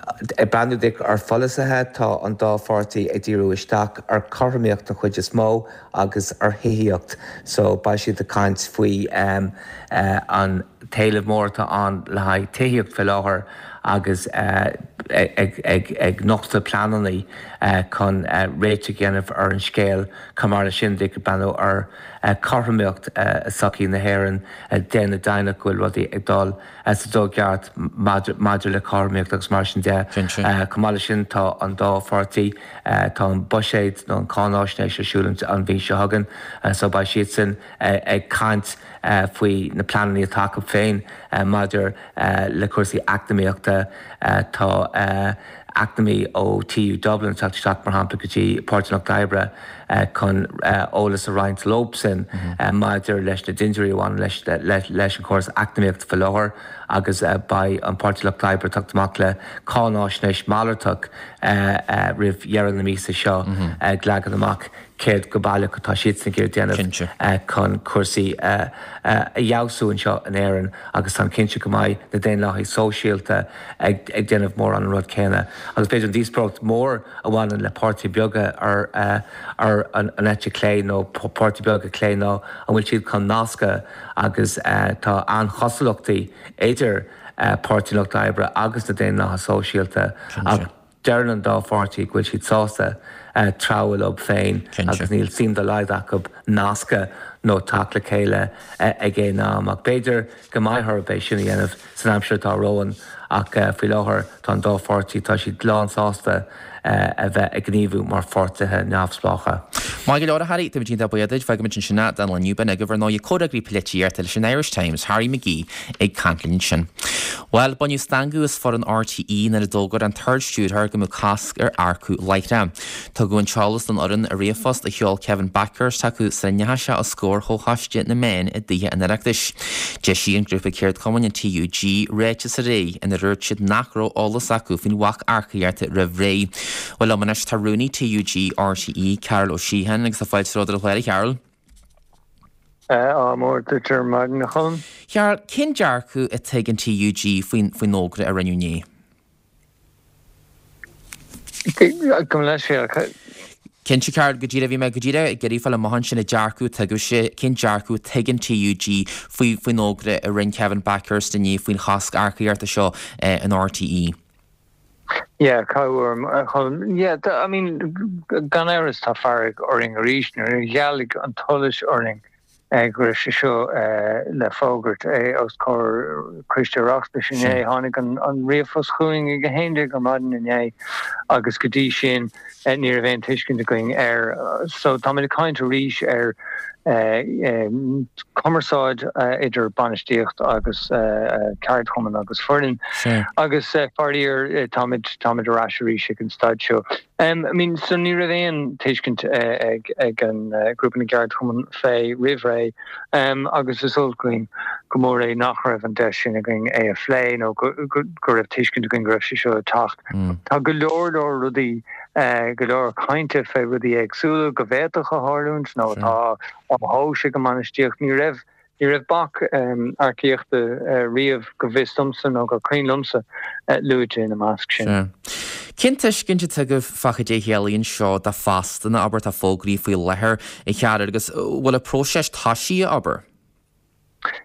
Ag breathnú duit ar pholasaithe, tá an dá pháirtí ag díriú isteach ar chothromaíocht den chuid is mó agus ar thithíocht so beidh siad ag caint faoi an t-éileamh mór atá ann le haghaidh tithíocht faoi láthair agus ag nochtadh pleananna chun réiteach a dhéanamh ar an scéal. Chomh maith leis sin, ag breathnú ar chothromaíocht i sochaí na hÉireann, déanamh deimhneach go bhfuil rudaí ag dul sa dóigh cheart maidir le cothromaíocht agus mar sin de. Chomh maith leis sin, tá an dá pháirtí, tá an buiséad nó an cáináisnéis ar siúl an mhí seo chugainn so beidh siadsan ag caint faoi na pleananna atá acu féin maidir le cúrsaí eacnamaíochta. Tá eacnamaí ó TU Dublin ag teacht isteach, mar shampla, go dtí Páirtí an Lucht Oibre chun eolas a roinnt leobsan maidir leis na dintiúirí a bhaineann leis an chóras eacnamaíochta faoi láthair agus beidh an Páirtí Lucht Oibre ag teacht amach le cáináisnéis malartach roimh dheireadh na míosa seo ag leagan amach céard go baileach atá siadsan ag iarraidh déanamh chun cúrsaí a fheabhsú anseo in Éirinn agus táim cinnte go mbeidh na Daonlathaigh Sóisialta ag déanamh mórán an rud céanna. Agus b'fhéidir an díospóireacht mhór a bhaineann le páirtithe beaga ar ar an eite chlé nó páirtithe beaga clé ná an bhfuil siad chun nascadh agus tá an-chosúlachtaí idir Páirtí an Lucht Oibre agus na Daonlathaithe Sóisialta ach deireann an dá pháirtí go bhfuil siad sásta treabhadh leo féin agus níl suim dá laghad acu nascadh nó teacht le chéile ag aon am. Ach b'fhéidir go mbeidh orthu é sin a dhéanamh san aimsir atá romhainn ach faoi láthair tá an dá pháirtí, tá siad lánsásta a bheith ag gníomhú mar pháirtithe neamhspleácha. Maith go leor, a Harry, táimid iontach buíoch duit. Fágfaimid ansin é don lá inniu. B'in agaibh ar ndóigh comhfhreagraí polaitíochta leis an Irish Times, Harry McGee ag caint linn ansin. Bhuel, baineadh stangadh as foireann RTÉ nuair a d'fhógair an tArd-Stiúrthóir go mbeadh cosc ar earcú láithreach. Tugadh an t-eolas don fhoireann i ríomhphost a sheol Kevin Bakhurst chucu sula ndeachaigh sé os comhair Chomhchoiste na Meán i dTithe an Oireachtais. D'eisigh an grúpa ceardchumainn, an TUG, ráiteas aréir inar dúirt siad nach raibh eolas acu faoin bhac earcaíochta roimh ré. Bhuel liom anois tá Rúnaí TUG RTÉ, Carol Ó Síocháin agus tá fáilte romhat ar an chlár a Charol. Ádh mór duit ar maidin a Cholm. Carol, cén dearcadh atá ag an TUG faoin fhógra a rinneadh inné? Gabh mo leithscéal. Cinnte, Carol, go díreach, bhí mé go díreach ag iarraidh fáil amach ansin an dearcadh atá agaibhse, cén dearcadh atá ag an TUG faoi faoin fhógra a rinne Kevin Bakhurst inné faoin chosc earcaíochta seo in RTÉ? Yeah, cabhair a Cholm. Yeah, I mean, gan amhras tá fearg orainn arís nuair a ghealaigh an tsolais orainn go raibh sé seo le fógairt os comhair Coiste Oireachtais inné. Tháinig an ríomhphost chugainn ag a haon déag ar maidin inné agus go dtí sin ní raibh aon tuiscint againn air. So táimid ag caint arís ar cumarsáid idir bainistíocht agus ceardchumann agus foireann agus faraor táimid táimid ar ais arís ag an staid seo. I mean, so ní raibh aon tuiscint ag ag an grúpa na gceardchumann fé roimh ré agus is olc againn go mór é nach raibh an deis sin againn é a phlé nó go go raibh tuiscint againn go raibh sé seo ag teacht. Tá go leor leor rudaí, go leor cainte fé rudaí éagsúla go bhféadfadh a tharlúint nó atá á thomhas ag an mbainistíocht. Ní raibh Ní raibh bac earcaíochta riamh, go bhfios domsa nó gur cuimhin liomsa, luaite ina measc sin. Sea. Cén tuiscint atá agaibh fá cad é a chiallaíonn seo do phostanna, abair, atá fógraithe faoi láthair, a Chearúil, agus bhfuil an próiseas tosaithe, abair?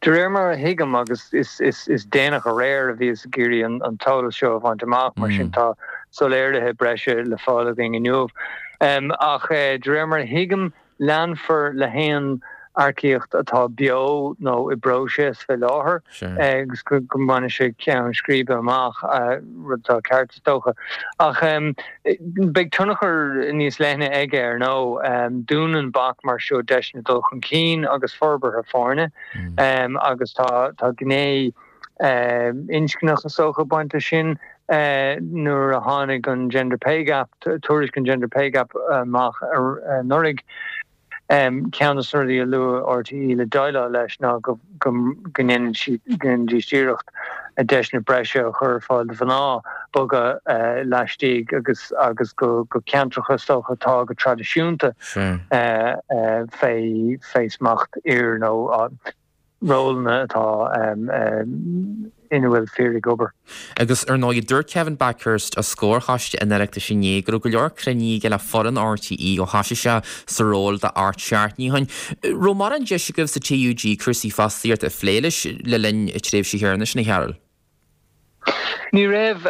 De réir mar a thuigim, agus is déanach aréir a bhíothas ag iarraidh an t-eolas seo a bhaint amach, mar sin tá soiléirithe breise le fáil againn inniu. Ach de réir mar a thuigim, Leanfar le haon earcaíocht atá beo nó i bpróiseas fé láthair agus go mbainfidh sé ceann scríbe amach, rud atá ceart is dócha. Ach beidh tionchar níos leithne aige ar ndóigh. Dúnann bac mar seo deiseanna dul chun cinn agus forbartha foirne agus tá gné inscneach is dócha ag baint leis sin. Nuair a tháinig an Gender Pay Gap, tuairisc an Gender Pay Gap amach anuraidh, ceann de na rudaí a luaigh RTÉ le déileáil leis ná go ndéanfaidís iarracht deiseanna breise a chur ar fáil do mhná bogadh laistigh agus agus go ceantracha is dócha atá go traidisiúnta fé smacht fhir nó rólanna atá ina bhfuil fir ag obair. Agus ar ndóigh dúirt Kevin Bakhurst os comhair choiste an Oireachtais inné go raibh go leor cruinnithe aige le foireann RTÉ ó thosaigh sé sa ról de ocht seachtainí ó shin. Raibh mórán deis agaibh sa TUG cúrsaí fostaíochta a phlé leis le linn na tréimhse chéanna sin, a Chearúil? Ní raibh.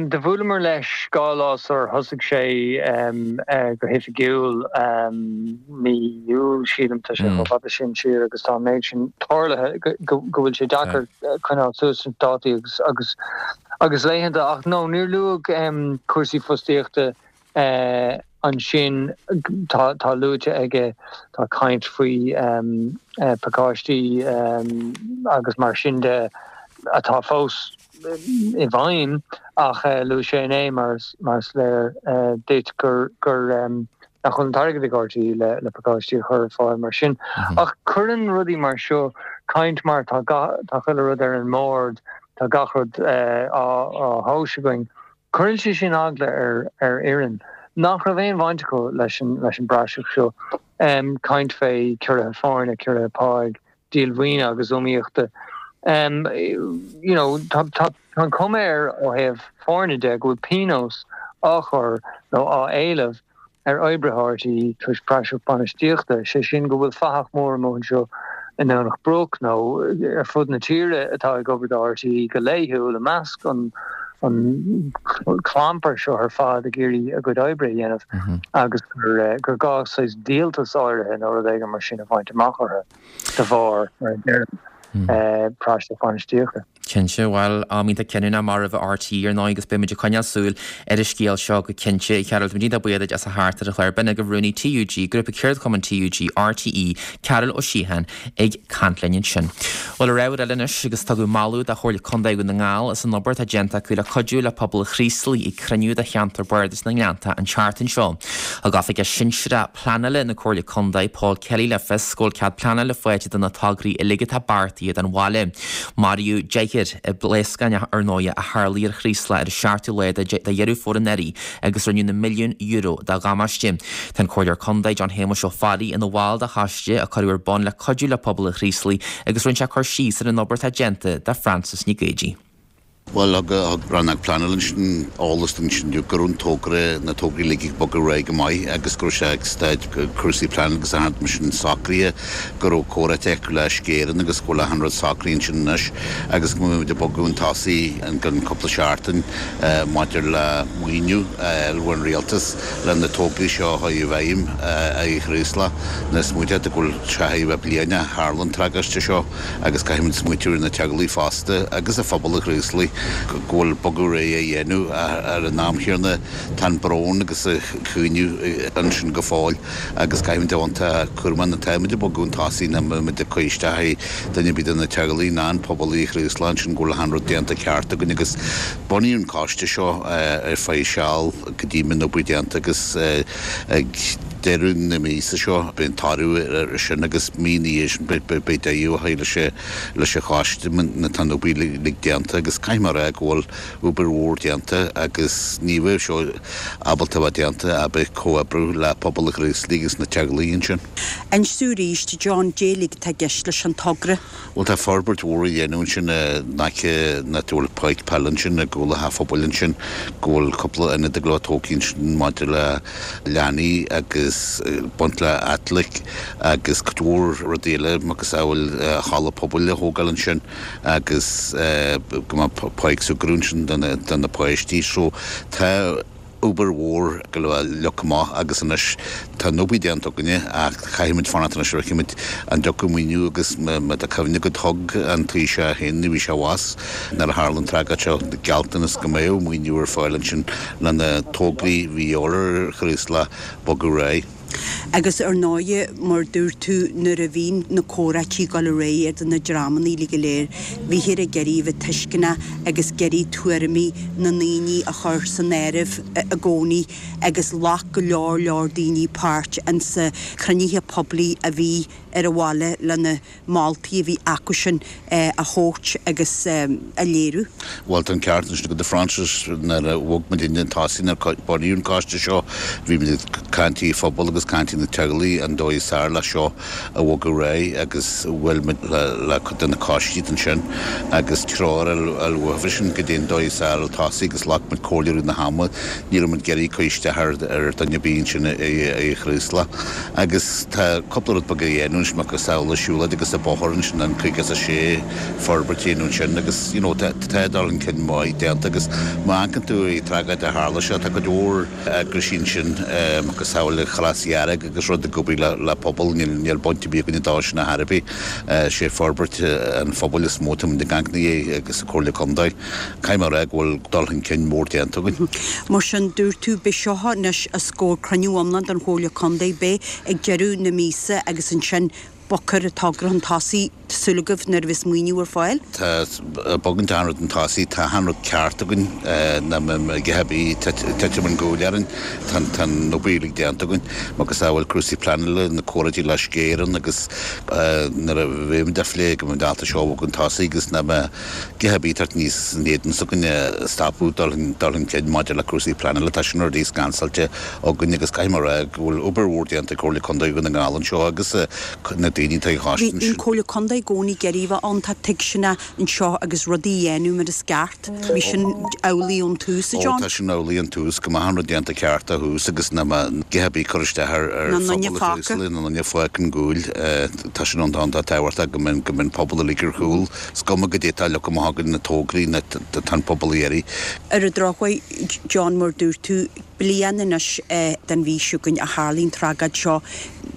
Do bhuaileamar leis dhá lá sular thosaigh sé go hoifigiúil, mí Iúil sílim, tá sé chomh fada sin siar agus tá an méid sin tarlaithe go bhfuil sé deacair coinneáil suas na dátaí agus agus agus laethanta. Ach no, níor luadh cúrsaí fostaíochta Ansin tá tá luaite aige, tá caint faoi pacáistí agus mar sin de atá fós i bhfeidhm ach luaigh sé inné mar mar is léir duit gur gur nach bhfuil an t-airgead ag RTÉ le le pacáistí a chur ar fáil mar sin. Ach cuireann rudaí mar seo caint mar tá tá chuile rud ar an mbord, tá gach rud á á thomhas againn. Cuireann sé sin eagla ar ar fhoireann nach raibh aon bhaint acu leis an leis an bpraiseach seo. Caint fé ciorruithe foirne, ciorruithe páigh, díol mhaoine agus iomaíochta. You know, tá tá an chuma air ó thaobh foirne de go bhfuil pionós á chur nó á éileamh ar oibrithe RTÉ toisc praiseach bainistíochta, sé sin go bhfuil fathach mór amuigh anseo i nDomhnach Broc nó ar fud na tíre atá ag obair do RTÉ go laethúil i measc an an clampar seo ar fad ag iarraidh a gcuid oibre a dhéanamh agus gur gur gá saghas díoltas áirithe nó rud éigin mar sin a bhaint amach orthu de bharr, mar a deirim, praiseach bainistíochta. Cinnte, bhuel, am iontach cinniúnach mar roimh RTÉ ar ndóigh agus beidh muid ag coinneáil súil ar an scéal seo go cinnte. A Chearúil, táimid iontach buíoch duit as a theacht ar an chlár. B'in agaibh Rúnaí TUG, Grúpa Ceardchumainn TUG, RTÉ, Cearbhall Ó Síocháin ag caint linn ansin. Bhuel, ar ábhar eile anois, agus tugadh moladh do Chomhairle Contae Dhún na nGall as an obair atá déanta acu le cuidiú le pobal Chraoslaigh ag cruinniú de Cheantar Bardais na nGleannta an tseachtain seo. Thug Oifigeach Sinsearach Pleanála na Comhairle Contae, Paul Kelly le fios go bhfuil cead pleanála faighte do na tograí uilig atá beartaithe don bhaile. Maraíodh deichniúr i bpléascán ar ndóigh a tharlaigh ar Chraoslach ar an seachtú lá de Dheireadh Fómhair anuraidh agus rinneadh na milliúin euro de dhamáiste. Tá an Comhairleoir Contae John Shéamuis Ó Fearraigh ina bhall de choiste a cuireadh ar bun le cuidiú le pobal an Chraoslaigh agus rinne sé cur síos ar an obair atá déanta do Frances Nic Géadaigh. Bhuel, thug Rannóg Pleanála ansin eolas dúinn ansin inniu go raibh an togra, na tograí uilig ag bogadh ar aghaidh go maith agus go raibh sé ag staid cúrsaí pleanála agus achan rud mar sin socraithe, go raibh comhráite acu le Uisce Éireann agus go bhfuil achan rud socraithe ansin anois agus go mbeidh muid ag bogadh chun tosaigh i gceann cúpla seachtain maidir le maoiniú a fháil ón Rialtas le na tograí seo a chur i bhfeidhm i gCraoslach. Now smaointeoidh tú go bhfuil sé chóir a bheith bliain ó tharla an tragóid seo agus caithfimid smaointiú ar na teaghlaigh fosta agus ar phobal an Chraoslaigh go bhfuil bogadh ar aghaidh á dhéanamh ach ar an am chéanna tá an brón agus an caoineadh ansin go fóill agus caithfimid a bheith iontach cúramach nuair atáimid ag bogadh chun tosaigh nach mbeimid ag cur isteach ar dhuine ar bith de na teaghlaigh ná an pobal i Chraoslach ansin go bhfuil achan rud déanta ceart againn agus bunaíodh an coiste seo ar feadh seal go dtí go mbeidh an obair déanta agus ag deireadh na míosa seo beidh an toradh ar sin agus mí ina dhiaidh sin beidh deireadh á chur leis an choiste nuair atá an obair uilig déanta agus caithfidh mé a rá go bhfuil obair mhór déanta agus ní bheadh seo ábalta a bheith déanta ach bheith ag comhoibriú le pobal an Chraoslaigh agus na teaghlaigh ansin. Inis dúinn arís, John, cad é uilig atá i gceist leis an togra. Bhuel tá forbairt mhór á dhéanamh ansin in aice an áit a bhfuil páirc peile ansin i gcúl an teach phobail ansin go bhfuil cúpla ionad ag dul a bheith tógtha ansin maidir le leanaí agus baint le athletic agus cuid mhór rudaí eile macasamhail halla pobail a thógáil ansin agus go mbeadh páirc súgartha ansin do na páistí so tá obair mhór go leor leagtha amach agus anois tá an obair déanta againne ach caithfimid fanacht anois ar chífimid an dtiocfaidh maoiniú agus má tá cuimhne agat thug an Taoiseach féin nuair a bhí sé abhus nuair a tharla an tragóid seo gealltanas go mbeadh maoiniú ar fáil ansin le na tograí a bhí ar Chraoslach bogadh ar aghaidh. Agus ar ndóighe, mar dúirt tú, nuair a bhí na comhráití ag dul ar aghaidh idir na dreamanna uilig go léir, bhíthear ag iarraidh a bheith tuisceanach agus ag iarraidh tuairimí na ndaoine a chur san áireamh i gcónaí agus ghlac go leor leor daoine páirt insa chruinnithe poiblí a bhí ar a mhaithe le na moltaí a bhí acusan a thabhairt agus a léiriú. Bhuel, tá an ceart anois agat a Frances, nuair a bhog muid chun tosaigh nuair a bunaíodh an coiste seo, bhí muid ag caint le pobal agus caint le teaghlaigh an dóigh is fearr le seo a bhogadh ar aghaidh agus bhuail muid le cuid de na coistí ansin agus treoir a fháil uathu sin goidé an dóigh is fearr le tosaí agus ghlac muid comhairle i rith na hama, ní raibh muid ag iarraidh cur isteach ar dhuine ar bith ansin i Chraoslach agus tá cúpla rud beag a dhéanamh anois macasamhail an siúlóid agus an bóthar ansin an caoga is a sé forbairt a dhéanamh ansin agus you know tá dul chun cinn maith déanta agus má amharcann tú ar an tragóid a tharla seo tá cuid mhór eagraisí ansin macasamhail an Chros Dhearg agus rud ag obair le pobal níl baint ar bith againne dó sin ar chor ar bith. Sé forbairt an phobail is mó atá muid ag amharc ina dhiaidh agus an Comhairle Contae. Caithfidh mé a rá go bhfuil dul chun cinn mór déanta againn. Mar sin, dúirt tú, beidh seo anois os comhair cruinniú iomlán den Chomhairle Contae, beidh ag deireadh na míosa agus ansin bogfar an togra chun tosaigh, tá súil agaibh, nuair a bheas maoiniú ar fáil. Tá bogann achan rud chun tosaigh, tá achan rud ceart againn, ná a dhath ar bith titim an ghuail orainn, tá an obair uilig déanta againn, macasamhail cúrsaí pleanála, na comhráití le Uisce Éireann agus nuair a bheimid á phlé go mbeimid ábalta seo a bhogadh chun tosaigh agus ná a dhath ar bith ag teacht aníos in éadan s'againne a stopadh dul chun cinn maidir le cúrsaí pleanála, tá sin rudaí scansáilte againn agus caithfidh mé a rá go bhfuil obair mhór déanta ag Comhairle Contae Dhún na nGall anseo agus na daoine atá ag Bhí an Comhairle Contae i gcónaí ag iarraidh bheith ann, tá tuigseanna anseo agus rudaí a dhéanamh mar is ceart. Bhí sin amhlaidh ón tús, a Ó John? tá sin amhlaidh ón tús, go mbeadh an rud déanta ceart ó thús agus nach mbeadh a dhath ar bith ag cur isteach ar Na nduine phobal fágtha. Chraoslaigh, na nduine fágtha an gcúil. Tá sin iontach tábhachtach go mbeadh go mbeadh an pobal uilig ar chúl. Is cuma goidé atá leagtha amach againn na tograí na tá an pobal ag iarraidh. Ar an drochuair, John, mar dúirt tú, bliain anois den mhí seo chugainn a tharlaigh an tragóid seo.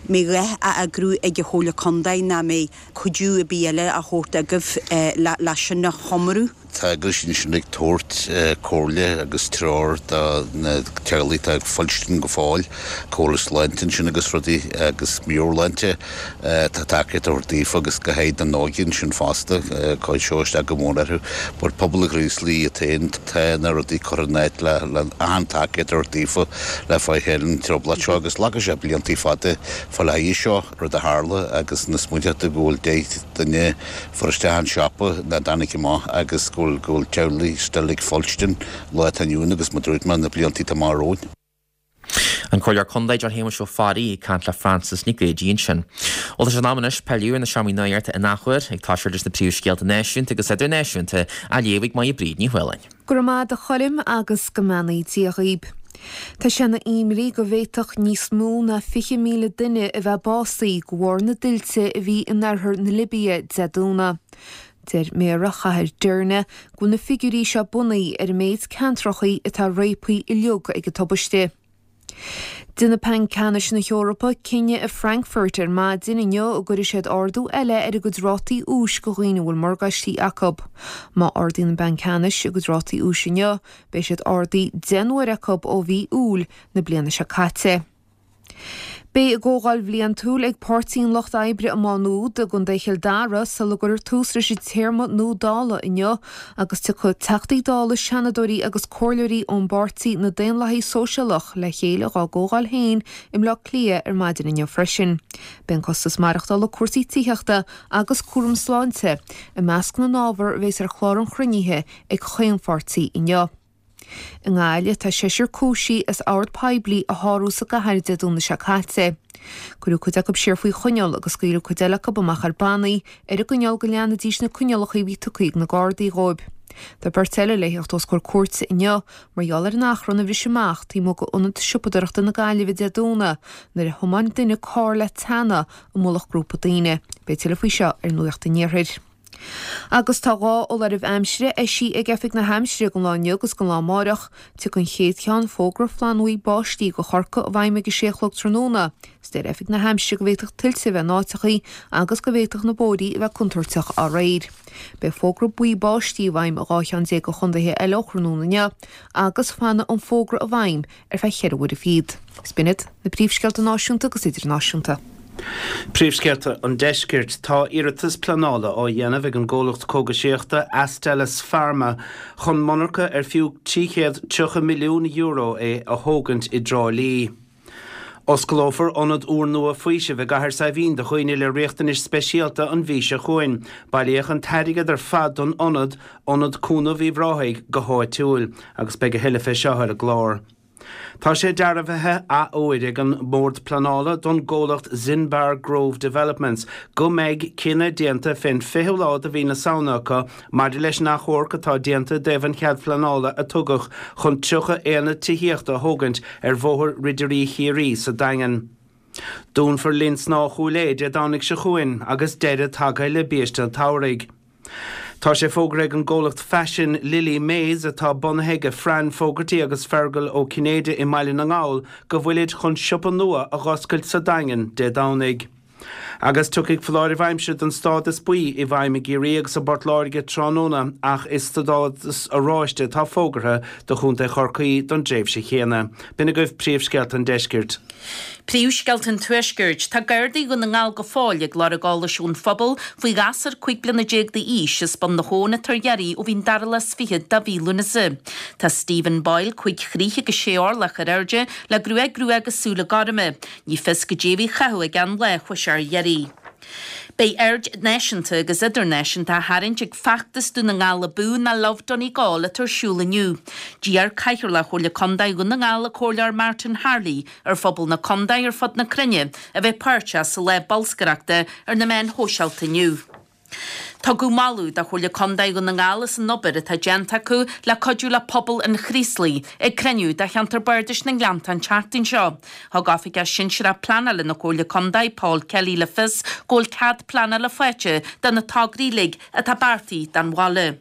Mbeidh a dhath á eagrú ag an Chomhairle Contae ná mbeidh cuidiú ar bith eile á thabhairt agaibh le sin a chomóradh? Tá eagrais ansin ag tabhairt comhairle agus treoir do na teaghlaigh atá ag fuilstin go fóill, comhairle sláinte ansin agus rudaí agus meabhairshláinte. Tá tacaíocht á tabhairt daofa agus go háirid don óige ansin fosta, cuirfidh seo isteach go mór orthu. But pobal an Chraoslaigh iad féin, tá na rudaí curtha in áit le le achan tacaíocht a thabhairt daofa le fáil thar an trioblóid seo agus glacfaidh sé blianta fada fáil aghaidh seo, rud a tharla agus na smaointeoireachta go bhfuil deich duine fuair isteach an siopa nach dtáinig amach agus go bhfuil go bhfuil teaghlaigh still ag fuilstin lá atá inniu ann agus mar a dúirt mé na blianta atá amach romhainn. An Comhairleoir Contae John Shéamuis Ó Fearraigh ag caint le Frances Nic Géadaigh ansin. Bhuel tá sé in am anois pilleadh ar na seomraí nuachta in athuair ag toiseacht leis na príomhscéalta náisiúnta agus idirnáisiúnta á léamh ag Máire Bríd Ní Fhaoláin. Go raibh maith agat a Choilm agus go mbeannaí Dia dhaoib. Tá sé ina imní go bhféadfadh níos mó ná fiche míle duine a bheith básaithe de bharr na dtuilte a bhí in oirthear na Libia Dé Domhnaigh. Deir méara chathair Derna go bhfuil na figiúirí seo bunaithe ar an méid ceantracha atá réabtha uilig ag an tubaiste. Déanfaidh Banc Ceannais na hEorpa cinneadh i Frankfurt ar maidin inniu an gcuirfidh siad ardú eile ar a gcuid rátaí úis do dhaoine a bhfuil morgáistí acu. Má ardaíonn an Banc Ceannais a gcuid rátaí úis inniu, beidh siad ardaithe deich n-uair acu ó mhí Iúil na bliana seo caite. Beidh a gcomhdháil bhliantúil ag Páirtí an Lucht Oibre i Má Nuad i gContae Chill Dara sula gcuirfear tús leis an téarma nua Dála inniu agus tiocfaidh Teachtaí Dála, Seanadóirí agus Comhairleoirí ón bpáirtí na Daonlathaithe Sóisialach le chéile dhá gcomhdháil féin i mBleá Cliath ar maidin inniu freisin. Beidh an costas maireachtála, cúrsaí tithíochta agus cúram sláinte i measc na n-ábhar a bheas ar chlár an chruinnithe ag chaon pháirtí inniu. I nGaillimh tá seisear cúisithe as ord poiblí a shárú sa gcathair Dé Domhnaigh seo caite. Cuireadh cuid acu siar faoi choinneáil agus scaoileadh cuid eile acu amach ar bannaí ar an gcoinníoll go leanfaidís na coinníollacha a bhí tugtha ag na Gardaí dhóibh. Tá beirt eile le theacht os comhair cúirte inniu mar gheall ar an achrann a bhris amach taobh amuigh d'Ionad Siopadóireachta na Gaillimhe Dé Domhnaigh nuair a thiomáin duine carr le teannadh i mullach grúpa daoine. Beidh tuilleadh faoi seo ar Nuacht an Iarthair. Agus tá dhá fholáireamh aimsire eisithe ag Oifig na hAimsire don lá inniu agus don lá amárach. Tiocfaidh an chéad cheann, fógra flannbhuí báistí do Chorcaigh i bhfeidhm ag a sé a chlog tráthnóna. Is deir Oifig na hAimsire go bhféadfadh tuilte a bheith in áiteachaí agus go bhféadfadh na bóithrí a bheith contúirteach dá réir. Beidh fógra buí báistí i bhfeidhm i dhá cheann déag de chontaetha eile ó thráthnóna inniu agus fanfaidh an fógra i bhfeidhm ar feadh cheithre uaire fichead. Is b'in iad na príomhscéalta náisiúnta agus idirnáisiúnta. Príomhscéalta an Deiscirt Tá iarratas pleanála á dhéanamh ag an gcomhlacht cógaisíochta Astellas Pharma chun monarcha ar fiú trí chéad tríocha milliún euro é a thógaint i dTrá Lí. Osclófar ionad úrnua faoisimh i gCathair Saidhbhín do dhaoine le riachtanais speisialta an mhí seo chugainn. Bailíodh an t-airgead ar fad don ionad, Ionad Cúnaimh Uíbh Ráthaigh, go háitiúil, agus beidh a thuilleadh fé seo ar an gclár. Tá sé dearbhaithe athuair ag an mBord Pleanála don gcomhlacht Zinbar Grove Developments go mbeidh cinneadh déanta fén fichiú lá de mhí na Samhna acu maidir leis an achomharc atá déanta i dtaobh an chead phleanála a tugadh chun tríocha aonad tithíochta a thógaint ar Bhóthar Ridirí Chiarraí sa Daingean. Dúnfar Linn Snámha Chúil Aodha Dé Domhnaigh seo chugainn agus deireadh tagtha le biaiste an tsamhraidh. Tá sé fógartha ag an gcomhlacht faisin Lily Mays, atá bunaithe ag Fran Fogarty agus Fergal Ó Cinnéide i mBaile na nGall, go bhfuilid chun siopa nua a dh'oscailt sa Daingean Dé Domhnaigh. Agus tiocfaidh foláireamh aimsire den stádas buí i bhfeidhm i gCiarraí agus i bPort Láirge tráthnóna ach is stádas oráiste atá fógartha do Chontae Chorcaí don dtréimhse chéanna. B'in agaibh príomhscéalta an deiscirt. Príomhscéalta an Tuaiscirt. Tá Gardaí Dhún na nGall go fóill ag lorg eolais ón phobal faoi ghasúr cúig bliana déag d'aois as Bun na hAbhann atá ar iarraidh ó bhí an dara lá is fiche de mhí Lúnasa. Tá Stephen Boyle cúig throigh agus sé orlach ar airde le gruag rua agus súile gorma. Ní fios goidé a bhí á chaitheamh aige an lá a chuaigh sé ar iarraidh. Beidh aird náisiúnta agus idirnáisiúnta á tharraingt ag feachtas Dún na nGall Abú nó Love Donegal atá ar siúl inniu. D'iarr Cathaoirleach Chomhairle Contae Dhún na nGall, an Comhairleoir Martin Harley, ar phobal na contae ar fud na cruinne a bheith páirteach sa lá bolscaireachta ar na meáin shóisialta inniu. Tugadh moladh do Chomhairle Contae Dhún na nGall as an obair atá déanta acu le cuidiú le pobal an Chraoslaigh ag cruinniú de Cheantar Bardais na nGleannta an tseachtain seo. Thug Oifigeach Sinsearach Pleanála na Comhairle Contae, Paul Kelly le fios go bhfuil cead pleanála faighte do na tograí uilig atá beartaithe don bhaile.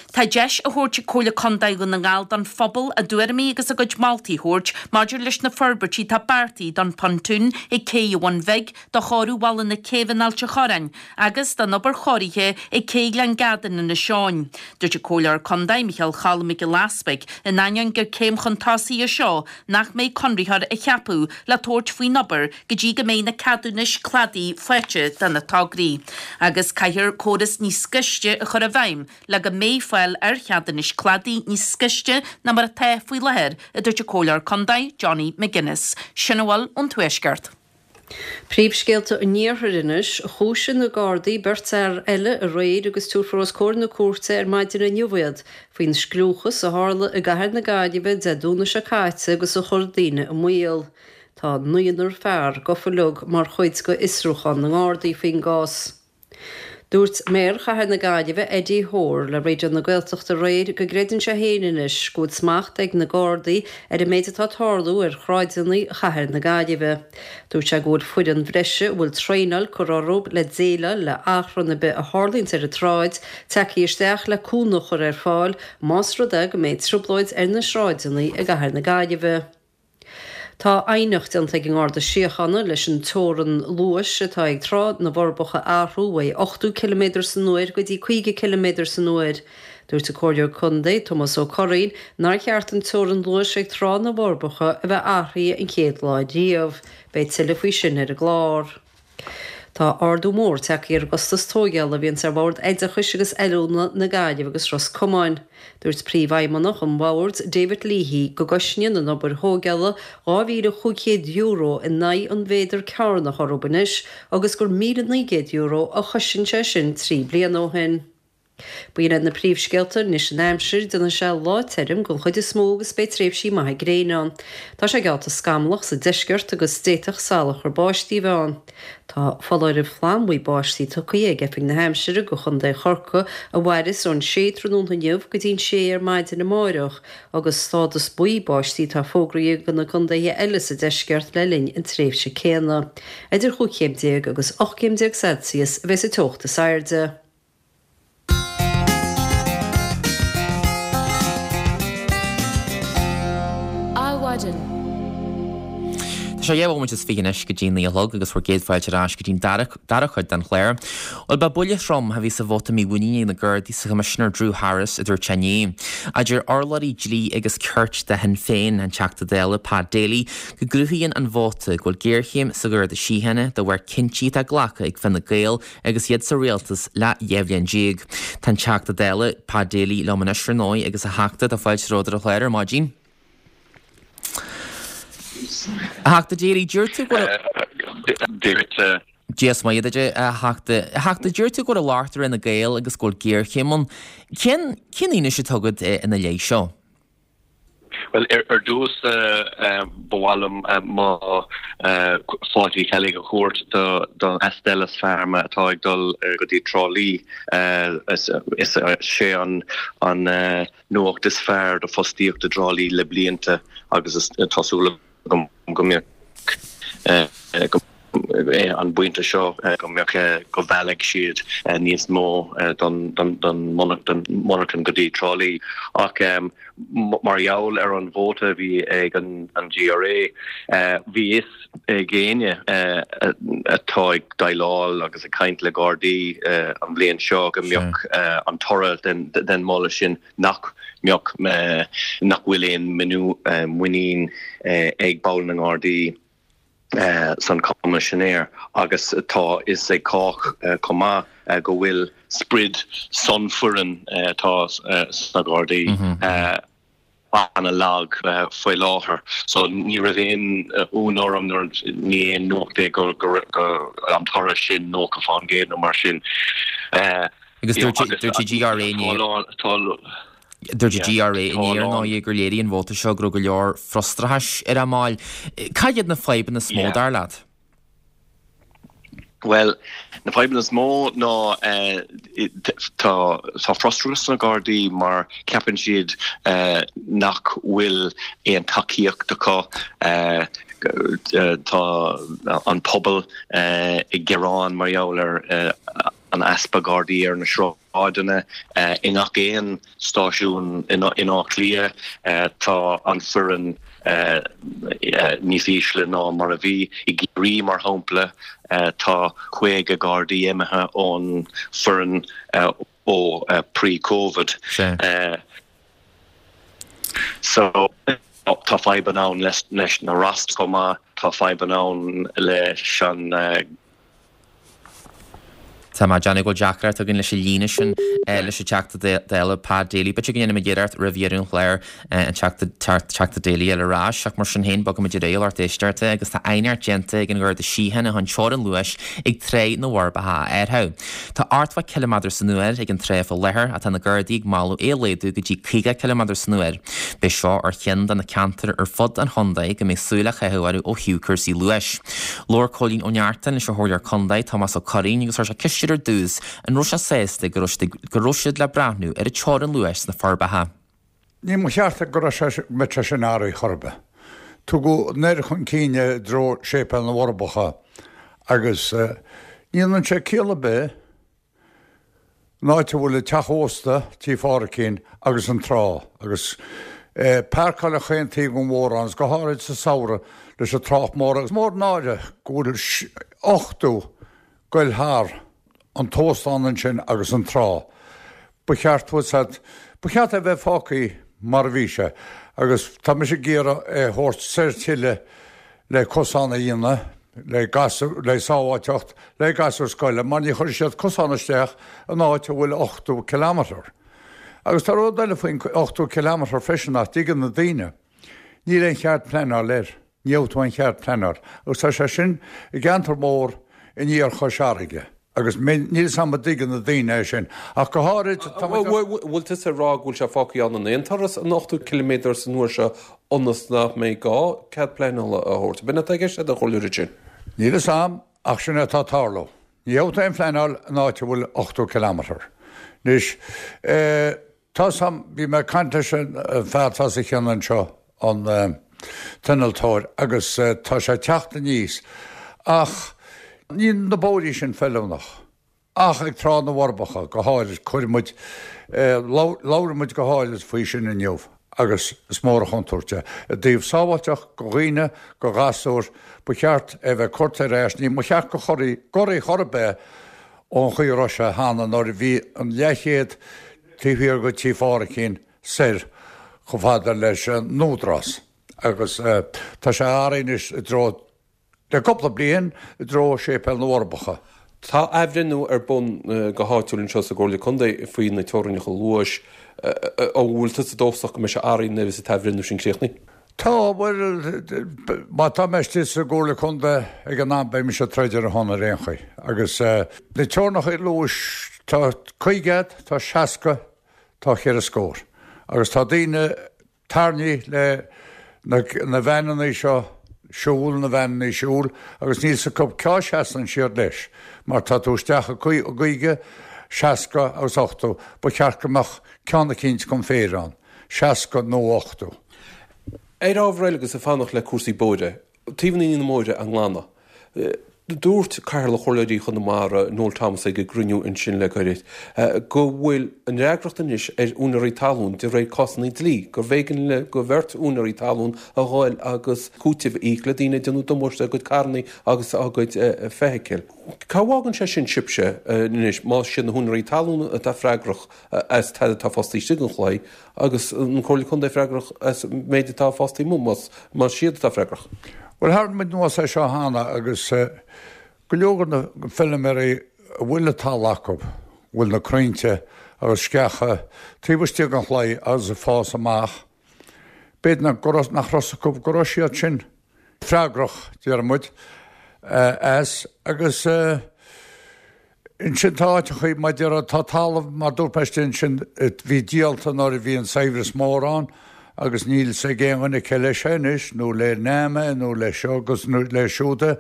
Tá deis á thabhairt ag Comhairle Contae Dhún na nGall don phobal a dtuairimí agus a gcuid moltaí a thabhairt maidir leis na forbairtí atá beartaithe don phontún ag Cé an Bhun Bhig, do chóiriú Bhalla na Céibhe in Ailt an Chorráin agus don obair chóirithe ag Cé Ghleann Gad in Inis Eoghain. Dúirt an Comhairleoir Contae, Micheál Cholm Mac Giolla Easbuig, in ainneoin gur céim chun tosaigh í seo nach mbeidh conraitheoir á cheapadh le tabhairt faoin obair go dtí go mbeidh na ceadúnais cladaigh faighte do na tograí agus caithfear córas níos gaiste a chur i bhfeidhm le go mbeidh fáil ar cheadúnais cladaigh níos gaiste ná mar atá faoi láthair, a dúirt an Comhairleoir Contae, Johnny McGuinness. Sin a bhfuil ón Tuaisceart. Príomhscéalta an Iarthair anois. Chúisigh na Gardaí beirt fhear eile aréir agus tabharfar os comhair na cúirte ar maidin inniu iad faoin scliúchas a tharla i gcathair na Gaillimhe Dé Domhnaigh seo caite agus a chuir daoine i mbaol. Tá naonúr fear gafa uilig mar chuid de fhiosrúchán na nGardaí faoin gcás. Dúirt Méara Chathair na Gaillimhe, Eddie Hoare, le Raidió na Gaeltachta aréir go gcreideann sé féin anois go bhfuil smacht ag na Gardaí ar an méid atá ag tarlú ar shráideanna chathair na Gaillimhe. Dúirt sé go bhfuil foireann bhreise a bhfuil traenáil curtha orthu le déileáil le achrann ar bith a tharlaíonns ar an tsráid tagtha isteach le cúnamh a chur ar fáil más rud é go mbeidh trioblóid ar na sráideanna i gcathair na Gaillimhe. Tá aighneacht déanta ag an nGarda Síochána leis an teorainn luais atá ag Trá na bhForbacha a athrú uaidh ochtó ciliméadar san uair go dtí caoga ciliméadar san uair. Dúirt an Comhairleoir Contae, Tomás Ó Curraoin, nár cheart an teorainn luais ag Trá na bhForbacha a bheith athraithe an chéad lá riamh. Beidh tuilleadh faoi sin ar an gclár. Tá ardú mór tagtha ar an gcostas tóigeála a bhíonns ar Bhord Oideachais agus Oiliúna na Gaillimhe agus Ros Comáin. Dúirt Príomhfheidhmeannach an Bhoird, David Leahy, go gcosnaíonn an obair thóigeála dhá mhíle chúig chéad euro in aghaidh an mhéadar cearnach orthu anois agus gur míle naoi gcéad euro a chosain sé sin trí bliana ó shin. B'in iad na príomhscéalta anois an aimsir, déanfaidh sé lá tirim den chuid is mó agus beidh tréimhsí maithe gréine ann. Tá sé geallta scamallach sa deisceart agus d'fhéadfadh salachar báistí a bheith ann. Tá foláireamh flannbhuí báistí tugtha ag Oifig na hAimsire do Chontae Chorcaí a mhairfeas ón sé tráthnóna inniu go dtí an sé ar maidin amáireach agus stádas buí báistí atá fógraithe do na contaetha eile sa deisceart le linn an tréimhse céanna. Idir chúig chéim déag agus ocht gcéim déag Celsius a bheas an teocht is airde. Adhmhaidin. Tá sé dhá bhomaite is fiche anois go dtí naoi a chlog agus bhur gcéad fáilte ar ais go dtí'n dara cuid den chlár. Bhuel, ba buille trom a bhí sa vóta mímhuiníne ag na Gardaí sa Choimisinéir Drew Harris, a dúirt sé inné. A deir urlabhraí dlí agus cirt de Shinn Féin, an Teachta Dála Pat Daly, go gcruthaíonn an vóta go bhfuil géarchéim sa Gharda Síochána de bharr cinntí atá glactha ag Fine Gael agus iad sa rialtas le dhá bhliain déag. Tá an Teachta Dála, Pat Daly, liom anois ar ndóigh agus a Theachta, tá fáilte romhat ar an chlár ar maidin. A Theachta Daly, deir tú go Dúirt Dia is Muire duit, a Theachta. A Theachta, deir tú go bhfuil locht ar Fhine Gael agus go bhfuil géarchéim ann. Cén cén fhianaise atá agat ina leith seo? Bhuel, ar dtús ba mhaith liom mo fáilte Uí Cheallaigh a thabhairt do Astellas Pharma atá ag dul go dtí Trá Lí. Is é an nuacht is fearr do fostaíocht i dTrá Lí le blianta agus tá súil agam go mbeadh an bpointe seo go mbeadh go mheallfaidh siad níos mó don monarchan go dtí Trá Lí. Ach mar gheall ar an vóta a bhí ag an GRA, bhí fhios ag éinne atá ag déileáil agus ag caint le Gardaí an bhliain seo go mbeadh an toradh den mholadh sin nach mbeadh nach bhfuil aon muinín ag baill na nGardaí san Coimisinéir agus tá fhios ag cách chomh maith go bhfuil sprid san foireann atá sna Gardaí ana-lag faoi láthair. So ní raibh aon ionadh orm nuair ní aon nuacht é go an toradh sin nócha fán gcéad nó mar sin. Agus dúirt dúirt GRA Dúirt GRA inné ar ndóigh gur léirigh an vóta seo go raibh go leor frustrachais ar a mbaill. Cad iad na fadhbanna is mó dar leat? Bhuel, na fadhbanna is mó ná tá tá frustrachas sna Gardaí mar ceapann siad nach bhfuil aon tacaíocht acu. Tá an pobal ag gearán mar gheall ar an easpa Gardaí ar na sráideanna. I ngach aon stáisiún in Áth Cliath tá an foireann níos ísle ná mar a bhí. I gCiarraí, mar shampla, tá caoga Gardaí imithe ón foireann ó pre-Covid. So tá fadhbanna ann leis na rosters chomh maith, tá fadhbanna ann leis an Tá mé ag déanamh go bhfuil deacracht againn leis an líne sin leis an Teachta Dála Pat Daly. B'fhéidir go ndéanfaimid iarracht roimh dheireadh an chláir an Teachta Daly a fháil ar ais ach mar sin féin bogfaimid ar aghaidh a lucht éisteachta agus tá aighneacht déanta ag an Gharda Síochána chun teorainn luais ag Trá na bhForbacha a athrú. Tá ochtó ciliméadar san uair ag an trá faoi láthair ach tá na Gardaí ag moladh é a laghdú go dtí caoga ciliméadar san uair. Beidh seo ar cheann de na ceantair ar fud an chontae go mbeidh súil á chaitheamh orthu ó thaobh cúrsaí luais. Labhair Cóilín Ó Neachtain leis an Chomhairleoir Contae Tomás Ó Curraoin agus chuir sé ceist air ar dtús an raibh sé sásta go raibh siad le breathnú ar an teorainn luais sna Forbacha. Ní mba cheart go raibh sé go mbeadh sé sin athraithe chor ar bith. Tugadh an oiread chun cinn i dtreo Séipéal na bhForbacha agus ní dhéanann sé ciall ar bith an áit a bhfuil an teach ósta, Tí Phádhraic agus an trá agus páirceáil ar chaon taobh den bhóthar ann, go háirid sa samhradh leis an trácht mór agus mór an náire go bhfuil ochtó goil thar an t-óstán ansin agus an trá. Ba cheart ba cheart é bheith fágtha mar a bhí sé agus tá mise ag iarraidh é a thabhairt soir tuilleadh le cosán a dhéanamh le gasúir le sábháilteacht le gasúir scoile mar ní chuirfidh siad cosán isteach in áit a bhfuil ochtó kilometre. Agus tá rud eile faoin ochtó kilometre freisin nach dtuigeann na daoine. Níl aon chead pleanáil air. Ní gheobhaidh tú aon chead pleanáil. Agus tá sé sin i gceantar mór in iarthar Chois Fharraige. Agus níl 'fhios a'm an dtuigeann na daoine é sin. Ach go háirid tá muid. Bhfuil tusa ag rá go bhfuil sé fágtha ann in aon turas an ochtó ciliméadar san uair seo ionas nach mbeidh gá cead pleanála a thabhairt? B'in atá i gceist agat a chomhairleoir ansin? Níl 'fhios a'm ach sin é atá ag tarlú. Ní gheobhaidh tú aon phleanáil in áit a bhfuil ochtó kilometre. Anois, tá 'fhios a'm, bhí mé ag caint leis an fear atá sa chionn anseo, an t-innealtóir, agus tá sé ag teacht aníos ach níl na bóithrí sin feiliúnach ach ag Trá na bhForbacha go háirid, chuir muid, labhair muid go háirid faoi sin inniu agus is mór an chontúirt é. I dtaobh sábháilteacht go dhaoine, go ghasúir, ba cheart é bheith curtha ar ais, ní mba cheart go chorraí, gcorraí chor ar bith ón chaoi a raibh sé cheana nuair a bhí an leathchéad taobh thiar go Tí Phádhraic soir chomh fada leis an Údarás agus tá sé athraithe anois i dtreo le cúpla bliain i dtreo Séipéal na bhForbacha. Tá athbhreithniú ar bun go háitiúil anseo sa gComhairle Contae faoi na teorainneacha luais. An bhfuil tusa dóchasach go mbeidh sé athraithe nuair is an t-athbhreithniú sin críochnaithe? Tá, bhuel, má tá mé istigh sa gComhairle Contae ag an am beidh mise ag troid ar a shon ar aon chaoi. Agus na teorainneacha luais, tá caoga, tá seasca, tá ceithre scór. Agus tá daoine tarraingthe le na na veaineanna seo siúl, na veaineanna siúl, agus níl 's acu cá seasann siad leis, mar tá tú isteach i gcaoga, seasca agus ochtó, ba cheart go mbeadh ceann eicínt chun féir ann, seasca nó ochtó. Ar ábhar eile agus ag fanacht le cúrsaí bóithre, taobhanna na mbóithre á nglanadh. Dúirt Cathaoirleach Chomhairleoirí Chonamara, Noel Thomas ag an gcruinniú ansin le gairid, go bhfuil an fhreagracht anois ar úinéirí talún de réir cásanna dlí, gurbh éigean le go bheirt úinéirí talún a ghoil agus cúiteamh a íoc le daoine ag déanamh damáiste dá gcuid carranna agus dá gcuid feithicil. Cá bhfágann sé sin sibhse anois más siad na húinéirí talún atá freagrach as tada atá fásta istigh den chlaí agus an Comhairle Contae freagrach as an méid atá fásta amuigh más siad atá freagrach? Bhuel, tharraing muid anuas é seo cheana agus go leor de na feilméaraí a bhfuil an talamh acu, bhfuil na crainnte agus sceacha taobh istigh den chlaí agus ag fás amach, b'fhéidir nach raibh 'fhios acu go raibh siad sin freagrach, deir muid, as agus ansin tá áiteachaí mar déarfá, tá talamh mar dúirt mé istigh ansin bhí díolta nuair a bhí an saibhreas mór ann agus níl 's ag aon dhuine cé leis é anois nó le NAMA é nó le seo agus le siúd é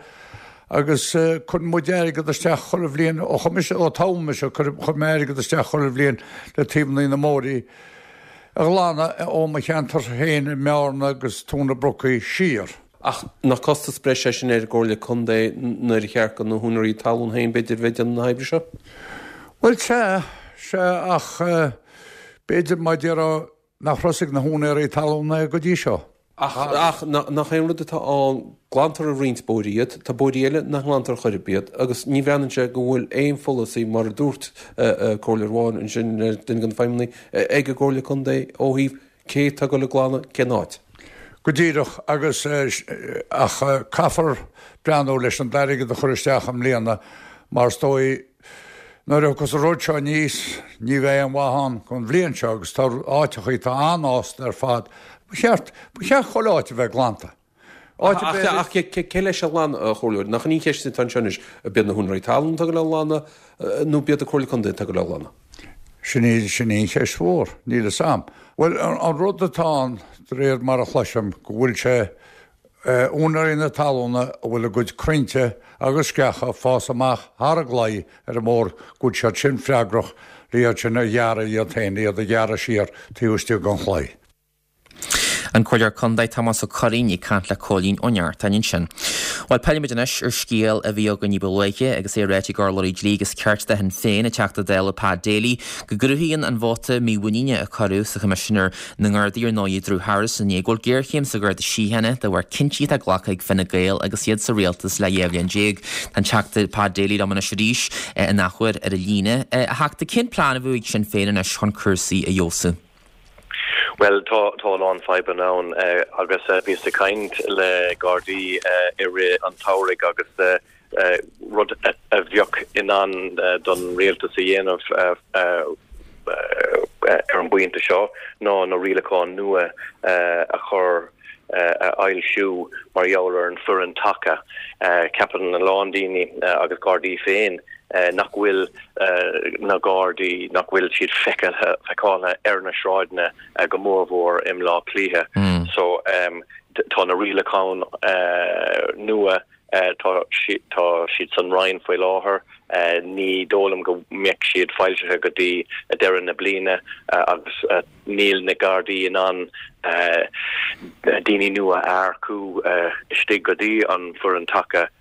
agus cuireann muid airgead isteach chuile bhliain ó chuir mise ó toghadh mise chuir mé airgead isteach chuile bhliain le taobhannaí na mbóithrí a ghlanadh ó mo cheantar féin i mBearna agus Tóin na Brocaí siar. Ach nach costas breise é sin ar an gComhairle Contae nuair a cheart do na húinéirí talún féin b'fhéidir bheith ag déanamh na hoibre seo? Bhuel sea, sea ach b'fhéidir mar déarfá nach raibh 'fhios ag na húinéirí talún é go dtí seo. Ach, ach nach é an rud atá ann, glantar i roinnt bóithrí iad, tá bóithrí eile nach nglantar chor ar bith iad agus ní bhreathnaíonn sé go bhfuil aon pholasaí mar a dúirt comhairleoir amháin ansin, duine de na feidhmeannaigh, ag an gComhairle Contae ó thaobh cé atá ag dul ag glanadh cén áit. Go díreach, agus ach caithfear breathnú leis an airgead a chur isteach i mbliana mar is dóigh nuair a thiocfas an rud seo aníos ní bheidh aon mhaith ann don bhliain seo agus tá áiteachaí atá an-fhásta ar fad. Ba cheart, ba cheart chuile áit a bheith glanta. Áit a bheith. Ach cé leis a ghlanadh, a Chomhairleoir? Nach in í an cheist atá anseo anois, ab iad na húinéirí talún atá ag dul a ghlanadh nó ab iad an Comhairle Contae atá ag dul a ghlanadh? Sin í, sin í an cheist mhór. Níl 'fhios a'm. Bhuel, an rud atá ann, de réir mar a chloisim, go bhfuil sé úinéirí na talúna a bhfuil a gcuid crainnte agus sceacha ag fás amach thar an gclaí ar an mbóthar, go bhfuil siad sin freagrach le iad sin a ghearradh iad féin, iad a ghearradh siar taobh istigh den chlaí. An Comhairleoir Contae Tomás Ó Curraoin ag caint le Cóilín Ó Neachtain ansin. Bhuel, pillfidh muid anois ar scéal a bhí againn ní ba luaithe agus é ráite ag urlabhraí dlí agus cirt do Shinn Féin, an Teachta Dála Pat Daly, go gcruthaíonn an vóta mímhuiníne a cuireadh sa Choimisinéir na nGardaí ar ndóigh Drew Harris inné go bhfuil géarchéim sa Gharda Síochána de bharr cinntí atá glactha ag Fine Gael agus iad sa rialtas le dhá bhliain déag. Tá an Teachta Pat Daly liom anois arís in athuair ar an líne. A Theachta, cén plean a bheadh ag Sinn Féin anois chun cúrsaí a fheabhsú? Bhuel, tá tá a lán fadhbanna ann agus bhíos ag caint le Gardaí i rith an tsamhraidh agus rud a bheadh in ann don rialtas a dhéanamh ar an bpointe seo ná na rialacháin nua a chur a fhoilsiú mar gheall ar an foireann taca. Ceapann a lán daoine agus Gardaí féin nach bhfuil na Gardaí, nach bhfuil siad feicthe, feiceáilte ar na sráideanna go mórmhór i mBleá Cliath. So tá na rialacháin nua, tá tá siad san Roinn faoi láthair, ní dóigh liom go mbeadh siad foilsithe go dtí deireadh na bliana agus níl na Gardaí in ann daoine nua a earcú istigh go dtí an foireann taca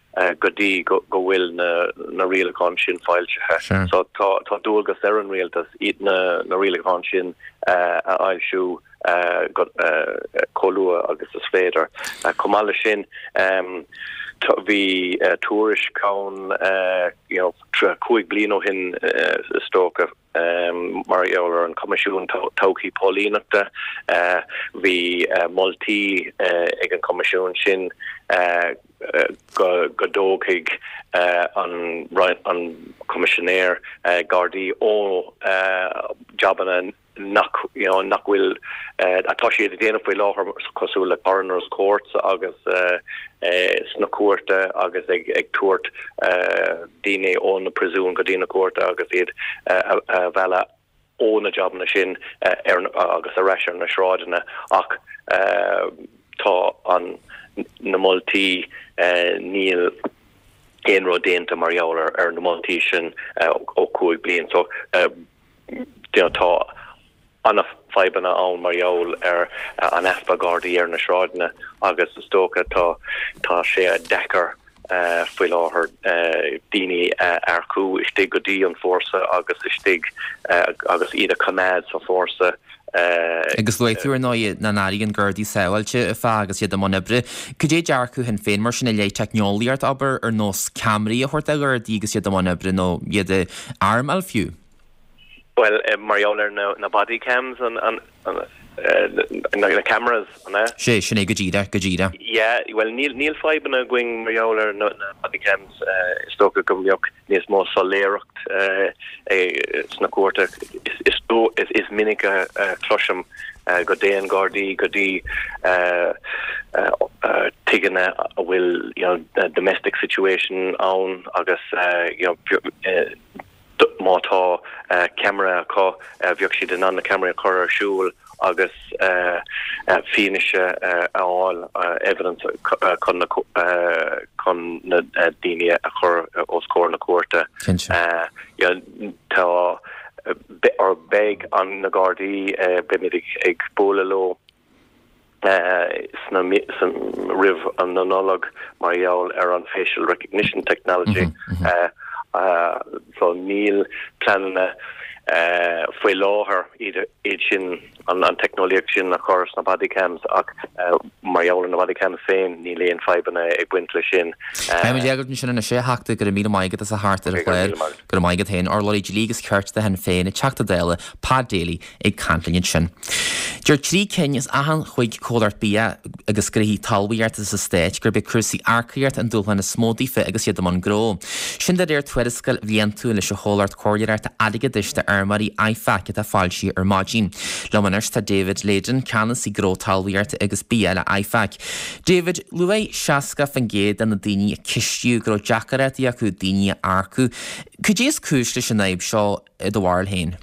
go dtí go bhfuil na rialacháin sin foilsithe. So tá tá dualgas ar an rialtas iad na na rialacháin sin a fhoilsiú chomh luath agus is féidir. Chomh maith leis sin bhí tuairisc ann you know cúig bliana ó shin is dócha mar gheall ar an Choimisiún Todhchaí Póilíneachta. Bhí moltaí ag an Choimisiún sin go dtógfaidh an Coimisinéir Gardaí ó jabanna nach you know, nach bhfuil atá siad ag déanamh faoi láthair cosúil le coroner's courts agus sna cúirte agus ag ag tabhairt daoine ó na príosúin go dtí na cúirte agus iad a mhealladh ó na jabanna sin ar agus ar ais ar na sráideanna ach tá an na moltaí níl aon rud déanta mar gheall ar ar na moltaí sin ó cúig bliain so you know, tá an-fhadhbanna ann mar gheall ar an easpa Gardaí ar na sráideanna agus is dócha tá tá sé deacair faoi láthair daoine a earcú istigh go dtí an fórsa agus istigh agus iad a choimeád sa fórsa. Agus luaigh tú ar ndóigh nach n-airíonn Gardaí sábháilte fá agus iad i mbun oibre. Cad é dearcadh Shinn Féin mar sin i leith teicneolaíocht, abair, ar nós ceamaraí a thabhairt do Ghardaí agus iad i mbun oibre nó iad a armáil fiú? Bhuel, mar gheall ar na body cams, an, an, an, na cameras, an ea? Sé, sin é go díreach, go díreach. Yeah, bhuel níl, níl fadhbanna againn mar gheall ar na, na body cams. Is dócha go mbeadh níos mó soiléireacht sna cúirte. Is, is, is, is minic a chloisim go dtéann Gardaí go dtí tigeanna a bhfuil you know, domestic situation ann agus you know, má tá ceamara acu, bheadh siad in ann na ceamaraí a chur ar siúl agus fianaise a fháil, evidence, chun na chun na daoine a chur os comhair na cúirte. Tá or beidh an na Gardaí, beimid ag bualadh leo sna roimh an na Nollag mar gheall ar an facial recognition technology. So níl pleananna faoi láthair iad sin an an teicneolaíocht sin a chur sna body cams ach mar gheall ar na body cams féin níl aon fadhbanna ag baint leis sin. Beimid ag sin anois a Theachta, go raibh míle maith agat as a theacht ar an chlár. Go raibh maith agat féin, urlabhraí dlí agus cirt do Shinn Féin, Teachta Dála Pat Daly ag caint linn ansin. Deir trí cinn as achan chúig chomhlacht bia agus gnóthaí talmhaíochta sa stát gurb é cúrsaí earcaíochta an dúshlán is mó daofa agus iad i mbun gnó. Sin de réir tuarascáil bhliantúil leis an chomhlacht comhairleoireachta airgeadais d'fheirmeoirí IFAC atá foilsithe ar maidin. Liom anois tá David Leyden, ceannasaí gnó talmhaíochta agus bia le IFAC. David, luaigh seasca faoin gcéad de na daoine a ceistíodh go raibh deacrachtaí acu daoine a earcú. Cad é is cúis leis an fhadhb seo i do bharúil féin?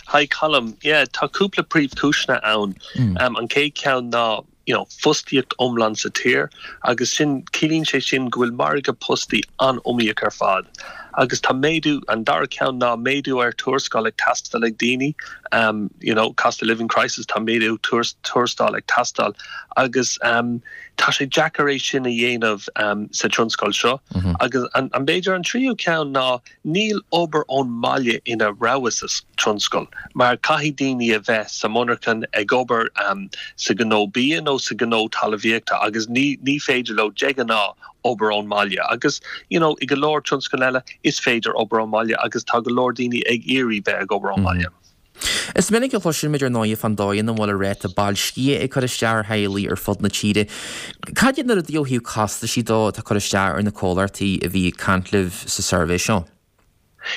Hi Colm, yeah, tá cúpla príomhchúiseanna ann. Um, an chéad cheann ná you know, fostaíocht iomlán sa tír agus sin ciallaíonn sé sin go bhfuil margadh postaí an-iomaíoch ar fad. Agus tá méadú an dara ceann ná méadú ar tuarascáil ag teastáil ag daoine, um, you know, cost of living crisis tá méadú tuarascáil ag teastáil agus um, tá sé deacair é sin a dhéanamh um, sa tionscal seo. Mm -hmm. agus an, an b'fhéidir an tríú ceann ná níl obair ón mbaile ina rogha sa tionscal, mar caithfidh daoine a bheith sa monarchan ag obair um, sa gnó bia nó sa gnó talmhaíochta agus ní, ní féidir leo de ghnáth obair ón mbaile agus you know, i go leor tionscal eile is féidir obair ón mbaile agus tá go leor daoine ag iarraidh bheith ag obair ón mbaile. Mm -hmm. Is minic a chloisimid ar ndóigh fán dóigh ina bhfuil an ráta boilscithe ag cur isteach ar theaghlaigh ar fud na tíre. Cad iad na rudaí ó thaobh costaisí dó atá ag cur isteach ar na comhlachtaí a bhí ag caint libh sa suirbhé seo?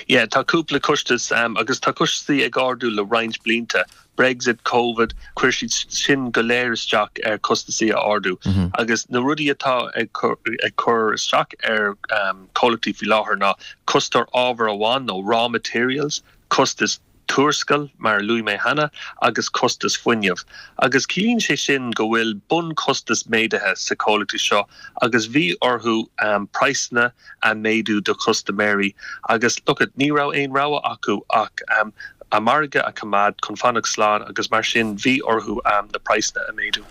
Yeah, tá cúpla costas um, agus tá costaí ag ardú le roinnt blianta. Brexit, Covid, chuir siad sin go léir isteach ar costasaí a ardú. Mm -hmm. Agus na rudaí atá ag cur, ag cur isteach ar um, comhlachtaí faoi láthair ná costas ábhar amháin nó raw materials, costas tuarascáil mar a luaigh mé cheana agus costas fuinnimh. Agus ciallaíonn sé sin go bhfuil bunchostas méadaithe sa comhlachtaí seo agus bhí orthu um, praghsanna a méadú do chustaiméirí agus look at, ní raibh aon rogha acu ach um, a margadh a choimeád chun fanacht slán agus mar sin bhí orthu um, na praghsanna a méadú.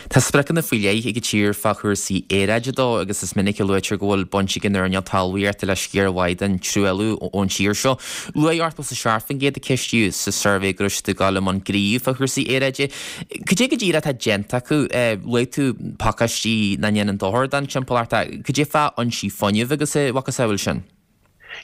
Tá spriocanna faoi leith ag an tír fá chúrsaí aeráide dó agus is minic a luaitear go bhfuil baint ag an earnáil talmhaíochta le sciar mhaith den truailliú ón tír seo. Luaigh ochtó is a seacht faoin gcéad a ceistíodh sa suirbhé go raibh siad ag dul i mbun gnímh fá chúrsaí aeráide. Cad é go díreach atá déanta acu? Luaigh tú pacáistí nach ndéanann dochar don timpeallacht. Cad é fá fhoinsí fuinnimh agus a mhacasamhail sin?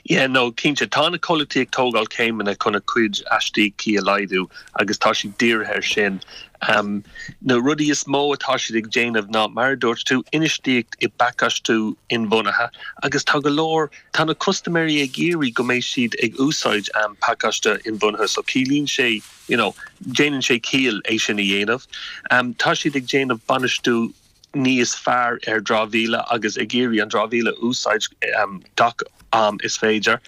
Yeah, no, cinnte tá na comhlachtaí ag tógáil céimeanna chun a cuid astaíochtaí a laghdú agus tá siad dírithe air sin. Um, na rudaí is mó atá siad ag déanamh ná mar a dúirt tú infheistíocht i bpacáistiú inbhuanaithe agus tá go leor tá na custaiméirí ag iarraidh go mbeidh siad ag úsáid um, pacáiste inbhuanaithe so ciallaíonn sé you know, déanann sé ciall é sin a dhéanamh. Um, tá siad ag déanamh bainistiú níos fearr ar dramhaíl agus ag iarraidh an dramhaíl a úsáid um, gach am is féidir,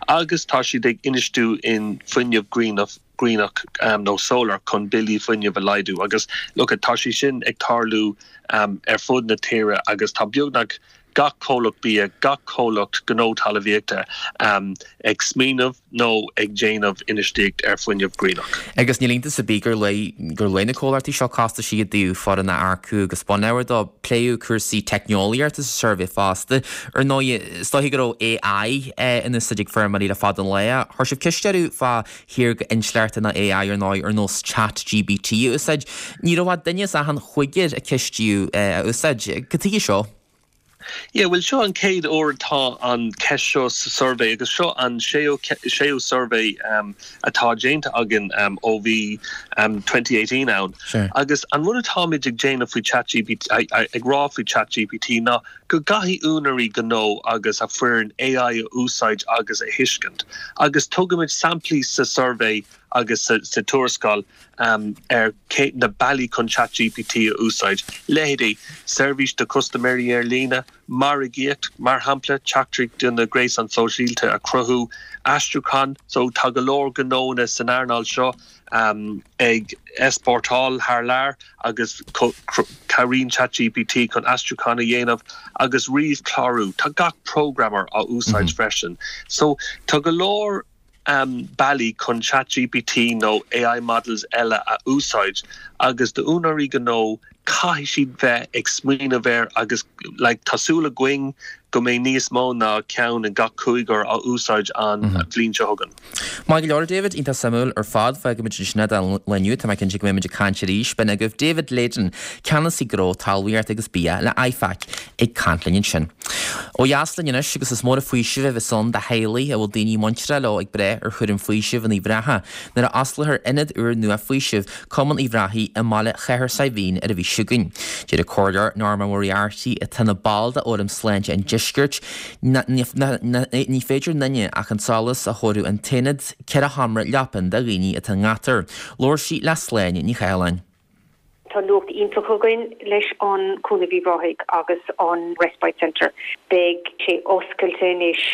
agus tá siad ag infheistiú in fuinneamh grianach grianach um, nó solar chun billí fuinnimh a laghdú agus look tá sé sin ag tarlú um, ar fud na tíre agus tá beagnach gach comhlacht bia, gach comhlacht gnó talmhaíochta um, ag smaoineamh nó ag déanamh infheistíocht ar fuinneamh grianach. Agus níl iontas ar bith gur luaigh gur luaigh na comhlachtaí seo costaisí i dtaobh foireann a earcú agus bonneagar dó pléadh cúrsaí teicneolaíochta sa suirbhé fosta. Ar ndóigh is dóiche go raibh AI in úsáid ag feirmeoirí le fada an lá. Chuir sibh ceist orthu fá shaorga-intleachta nó AI ar ndóigh ar nós ChatGPT a úsáid. Ní raibh ach duine as achan chúigear a ceistíodh a úsáid. Cad chuige seo? Yeah, well seo an chéad uair atá an ceist seo sa suirbhé agus seo an séú séú suirbhé um, atá déanta againn um, ó bhí um, twenty eighteen ann. Sure. Agus an rud atáimid ag déanamh faoi ChatGPT ag rá faoi ChatGPT ná go gcaithfidh úinéirí gnó agus a foireann AI a úsáid agus a thuiscint. Agus tugaimid samplaí sa suirbhé agus sa, sa tuarascáil um, ar cé, na bealaí chun ChatGPT a úsáid. Leithéidí seirbhís do custaiméirí ar líne, margaíocht, mar shampla teachtaireacht do na gréasáin sóisialta a chruthú, aistriúchán, so tá go leor gnónna san earnáil seo um, ag easpórtáil thar lear agus cabhraíonn ChatGPT chun aistriúchán a dhéanamh agus ríomhchlárú. Tá gach programmer á úsáid mm -hmm. freisin. So tá go leor um, bealaí chun ChatGPT nó AI models eile a úsáid agus d'úinéirí gnó caithfidh siad bheith ag smaoineamh air agus like, tá súil againn go mbeidh níos mó ná ceann in gach cúigear á úsáid an mm -hmm. bhliain seo chugainn. Maith go leor David iontach suimiúil ar fad fágfaimid ansin é don lá inniu tá mé cinnte go mbeimid ag caint arís b'in agaibh David Leyden ceannasaí gnó talmhaíocht agus bia le IFAC ag caint linn ansin. Ó dheas linn anois agus is mór an faoiseamh a bheas ann do theaghlaigh a bhfuil daoine muinteartha leo ag brath ar chúram faoisimh in Uíbh Ráthaigh nuair a osclófar ionad úr nua faoisimh Cumann Uíbh Ráthaigh i mbaile Chathair Saidhbhín ar an mhí seo chugainn. Deir an Comhairleoir Norma Moriarty atá ina ball de Fhóram Sláinte an Deiscirt ní féidir linne ach an sólás a thabharfadh an t-aonad ceithre sheomra leapan do dhaoine atá i ngátar. Labhair sí le Sláine Ní Chathalláin. Tá nuacht iontach againn leis an Cúnamh Uíbh Ráthaigh agus an Respite Centre. Beidh sé oscailte anois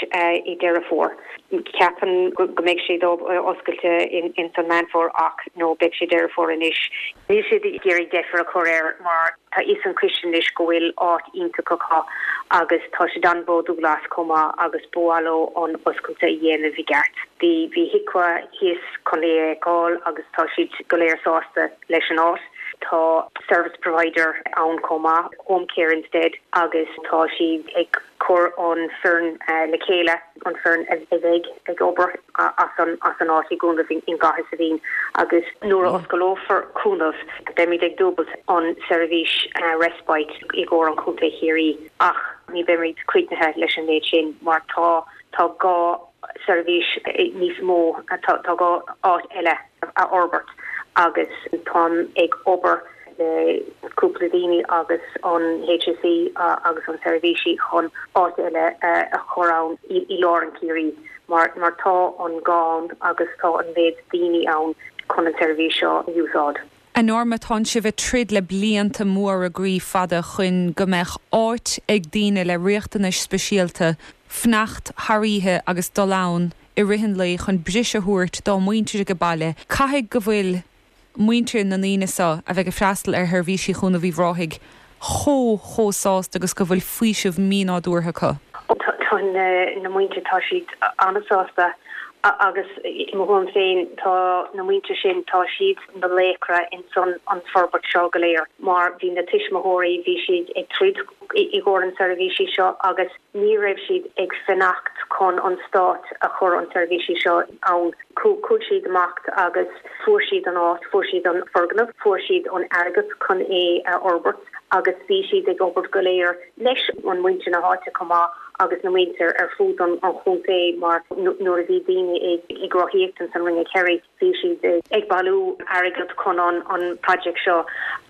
i Deireadh Fómhair. Ceapaim go mbeidh sé oscailte in san Meán Fómhair ach nó beidh sé Deireadh Fómhair anois. Níl siad ag iarraidh deifir a chur air mar tá fhios an coiste anois go bhfuil áit iontach acu agus tá siad an-bhródúil as chomh maith agus ba mhaith leo an oscailte a dhéanamh i gceart. Bhí bhí HIQA thíos chun é a fheiceáil agus tá siad go léir sásta leis an áit. Tá service provider ann chomh maith, Home Care Instead agus tá siad ag cur an foireann le chéile, an foireann a bheidh ag obair as an as an áit i gCúnamh in gCathair Saidhbhín agus nuair a osclófar Cúnamh beimid ag dúbailt an seirbhís respite i gcomhair an Chontae Chiarraí ach ní beimid críochnaithe leis an méid sin mar tá tá gá seirbhís níos mó tá gá áit eile a fhorbairt agus táim ag obair le cúpla daoine agus an HSE agus an seirbhísí chun áit eile a chur ann i lár an Chiarraí mar mar tá an gá ann agus tá an méid daoine ann chun an seirbhís seo a úsáid. A Norma tá sibh ag troid le blianta móra groí fada chun go mbeadh áit ag daoine le riachtanais speisialta fanacht thar oíche agus dul ann i rith an lae chun briseadh a thabhairt dá muintir ag baile. Caithfidh go bhfuil muintir na ndaoine seo a bheidh ag freastal ar sheirbhísí Chúnamh Uíbh Ráthaigh chomh chomh sásta agus go bhfuil faoiseamh mínádúrtha acu. Tá na muintir tá siad an-sásta agus mo thuairim féin tá na muintir sin tá siad na laochra in son an forbairt seo go léir mar bhí na tuismitheoirí bhí siad ag troid i gcomhair an seirbhísí seo agus ní raibh siad ag fanacht chun an stát a chur an seirbhísí seo ann. Chuaigh siad amach agus fuair siad an áit, fuair siad an foirgneamh, fuair siad an airgead chun é a fhorbairt agus bhí siad ag obair go léir leis an muintir na háite chomh maith agus na muintir ar fud an chontae mar nuair a bhí daoine ag rothaíocht san Ring of Kerry bhí siad ag bailiú airgead chun an an project seo.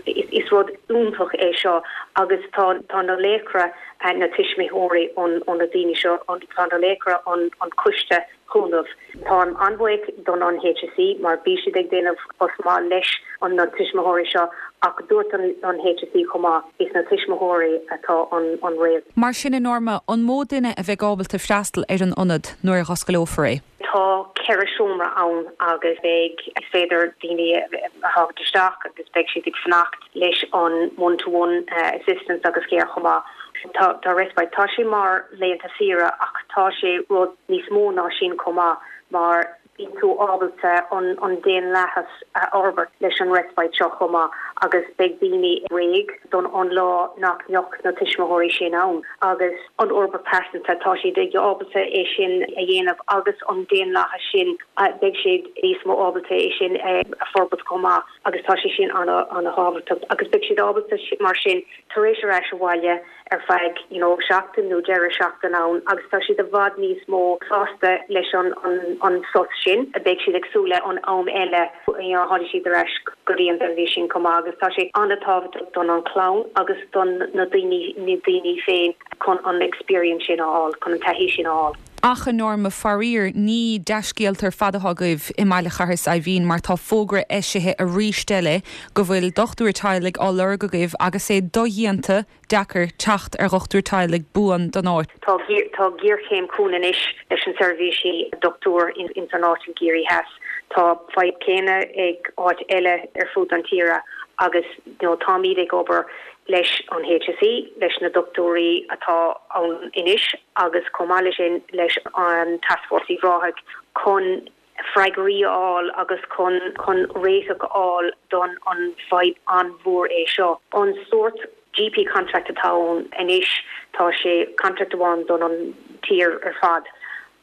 Is rud iontach é seo agus tá tá na laochra na tuismitheoirí an an na daoine seo tá na laochra an an coiste cúnamh. Táim an-bhuíoch don an HSE mar bhí siad ag déanamh post maith leis an na tuismitheoirí seo ach dúirt an an HSE chomh maith is na tuismitheoirí atá an an réal. Mar sin a Norma, an mó duine a bheidh ábalta freastal ar an ionad nuair a osclófar é? Tá ceithre seomra ann agus beidh is féidir daoine a thabhairt isteach agus beidh siad ag fanacht leis an one to one assistance agus care chomh maith. Tá tá respite tá sé mar laethanta saoire ach tá sé rud níos mó ná sin chomh maith mar bíonn tú ábalta an an daonlathas a fhorbairt leis an respite seo chomh maith agus beidh daoine réidh don an lá nach mbeadh na tuismitheoirí sin ann agus an fhorbairt pearsanta tá siad ag ábalta é sin a dhéanamh agus an daonlathas sin beidh siad níos mó ábalta é sin a forbairt chomh maith agus tá sé sin ana ana-thábhachtach agus beidh siad ábalta mar sin tar éis ar ais abhaile ar feadh you know seachtain nó deireadh seachtain ann agus tá siad i bhfad níos mó sásta leis an an an sos sin a beidh siad ag súil le an am eile you know tháinig siad ar ais go dtí an tseirbhís sin chomh maith agus tá sé an-tábhachtach don an chlann agus don na daoine na daoine féin chun an experience sin a fháil chun an taithí sin a fháil. Ach a Norma faraor ní dea-scéalta ar fad atá agaibh i mBaile Charthais Eimhín mar tá fógra eisithe arís eile go bhfuil dochtúir teaghlaigh á lorg agaibh agus é dodhéanta deacair teacht ar dhochtúir teaghlaigh buan don áit. Tá tá géarchéim chugainn anois leis an seirbhísí dochtúir in in san áit in Ciarraí Theas. Tá fadhb céanna ag áit eile ar fud an tíre agus you know, táimid ag obair leis an HSE, leis na dochtúirí atá ann anois agus chomh maith leis sin leis an Taskforce Uíbh Ráthaigh chun freagraí a fháil agus chun chun réiteach a fháil don an fadhb an-mhór é seo. An sórt GP contract atá ann anois tá sé contract amháin don an tír ar fad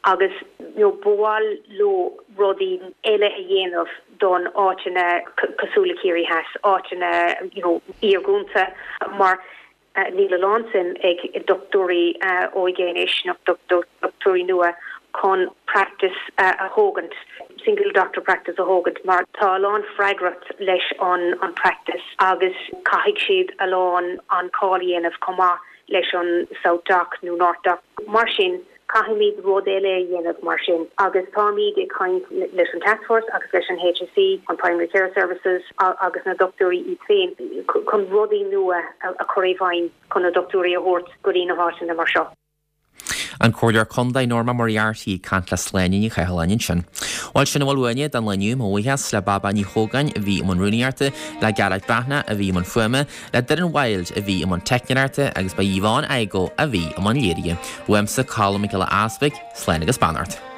agus you know, ba mhaith leo rudaí eile a dhéanamh don áiteanna cosúil le Ciarraí Theas, áiteanna you know, iargúlta mar uh, níl a lán suim ag dochtúirí uh, óige anois nó dochtúirí nua chun practice uh, a thógaint single doctor practice a thógaint mar tá a lán freagracht leis an an practice agus caithfidh siad a lán an call a dhéanamh chomh maith leis an South Dock nó North Dock mar sin caithfimid rud eile a dhéanamh mar sin agus táimid ag caint leis an Taskforce agus leis an HSE an Primary Care Services agus na dochtúirí iad féin chun rudaí nua a chur i bhfeidhm chun na dochtúirí a thabhairt go dtí na háiteanna mar seo. An Comhairleoir Contae Norma Moriarty caint le Sláine Ní Chathalláin sin. Bhuel sin a bhfuil uainne don lá inniu mo bhuíochas le Baba Ní Chógáin a bhí i mbun rúnaíochta, le Gearóid Breathnach a bhí i mbun fuaime, le Doireann Wild a bhí i mbun teicneoireachta agus ba Yvonne Igoe a bhí i mbun léirithe. Uaimse Colm Mac Giolla Easpaig, slán agus beannacht.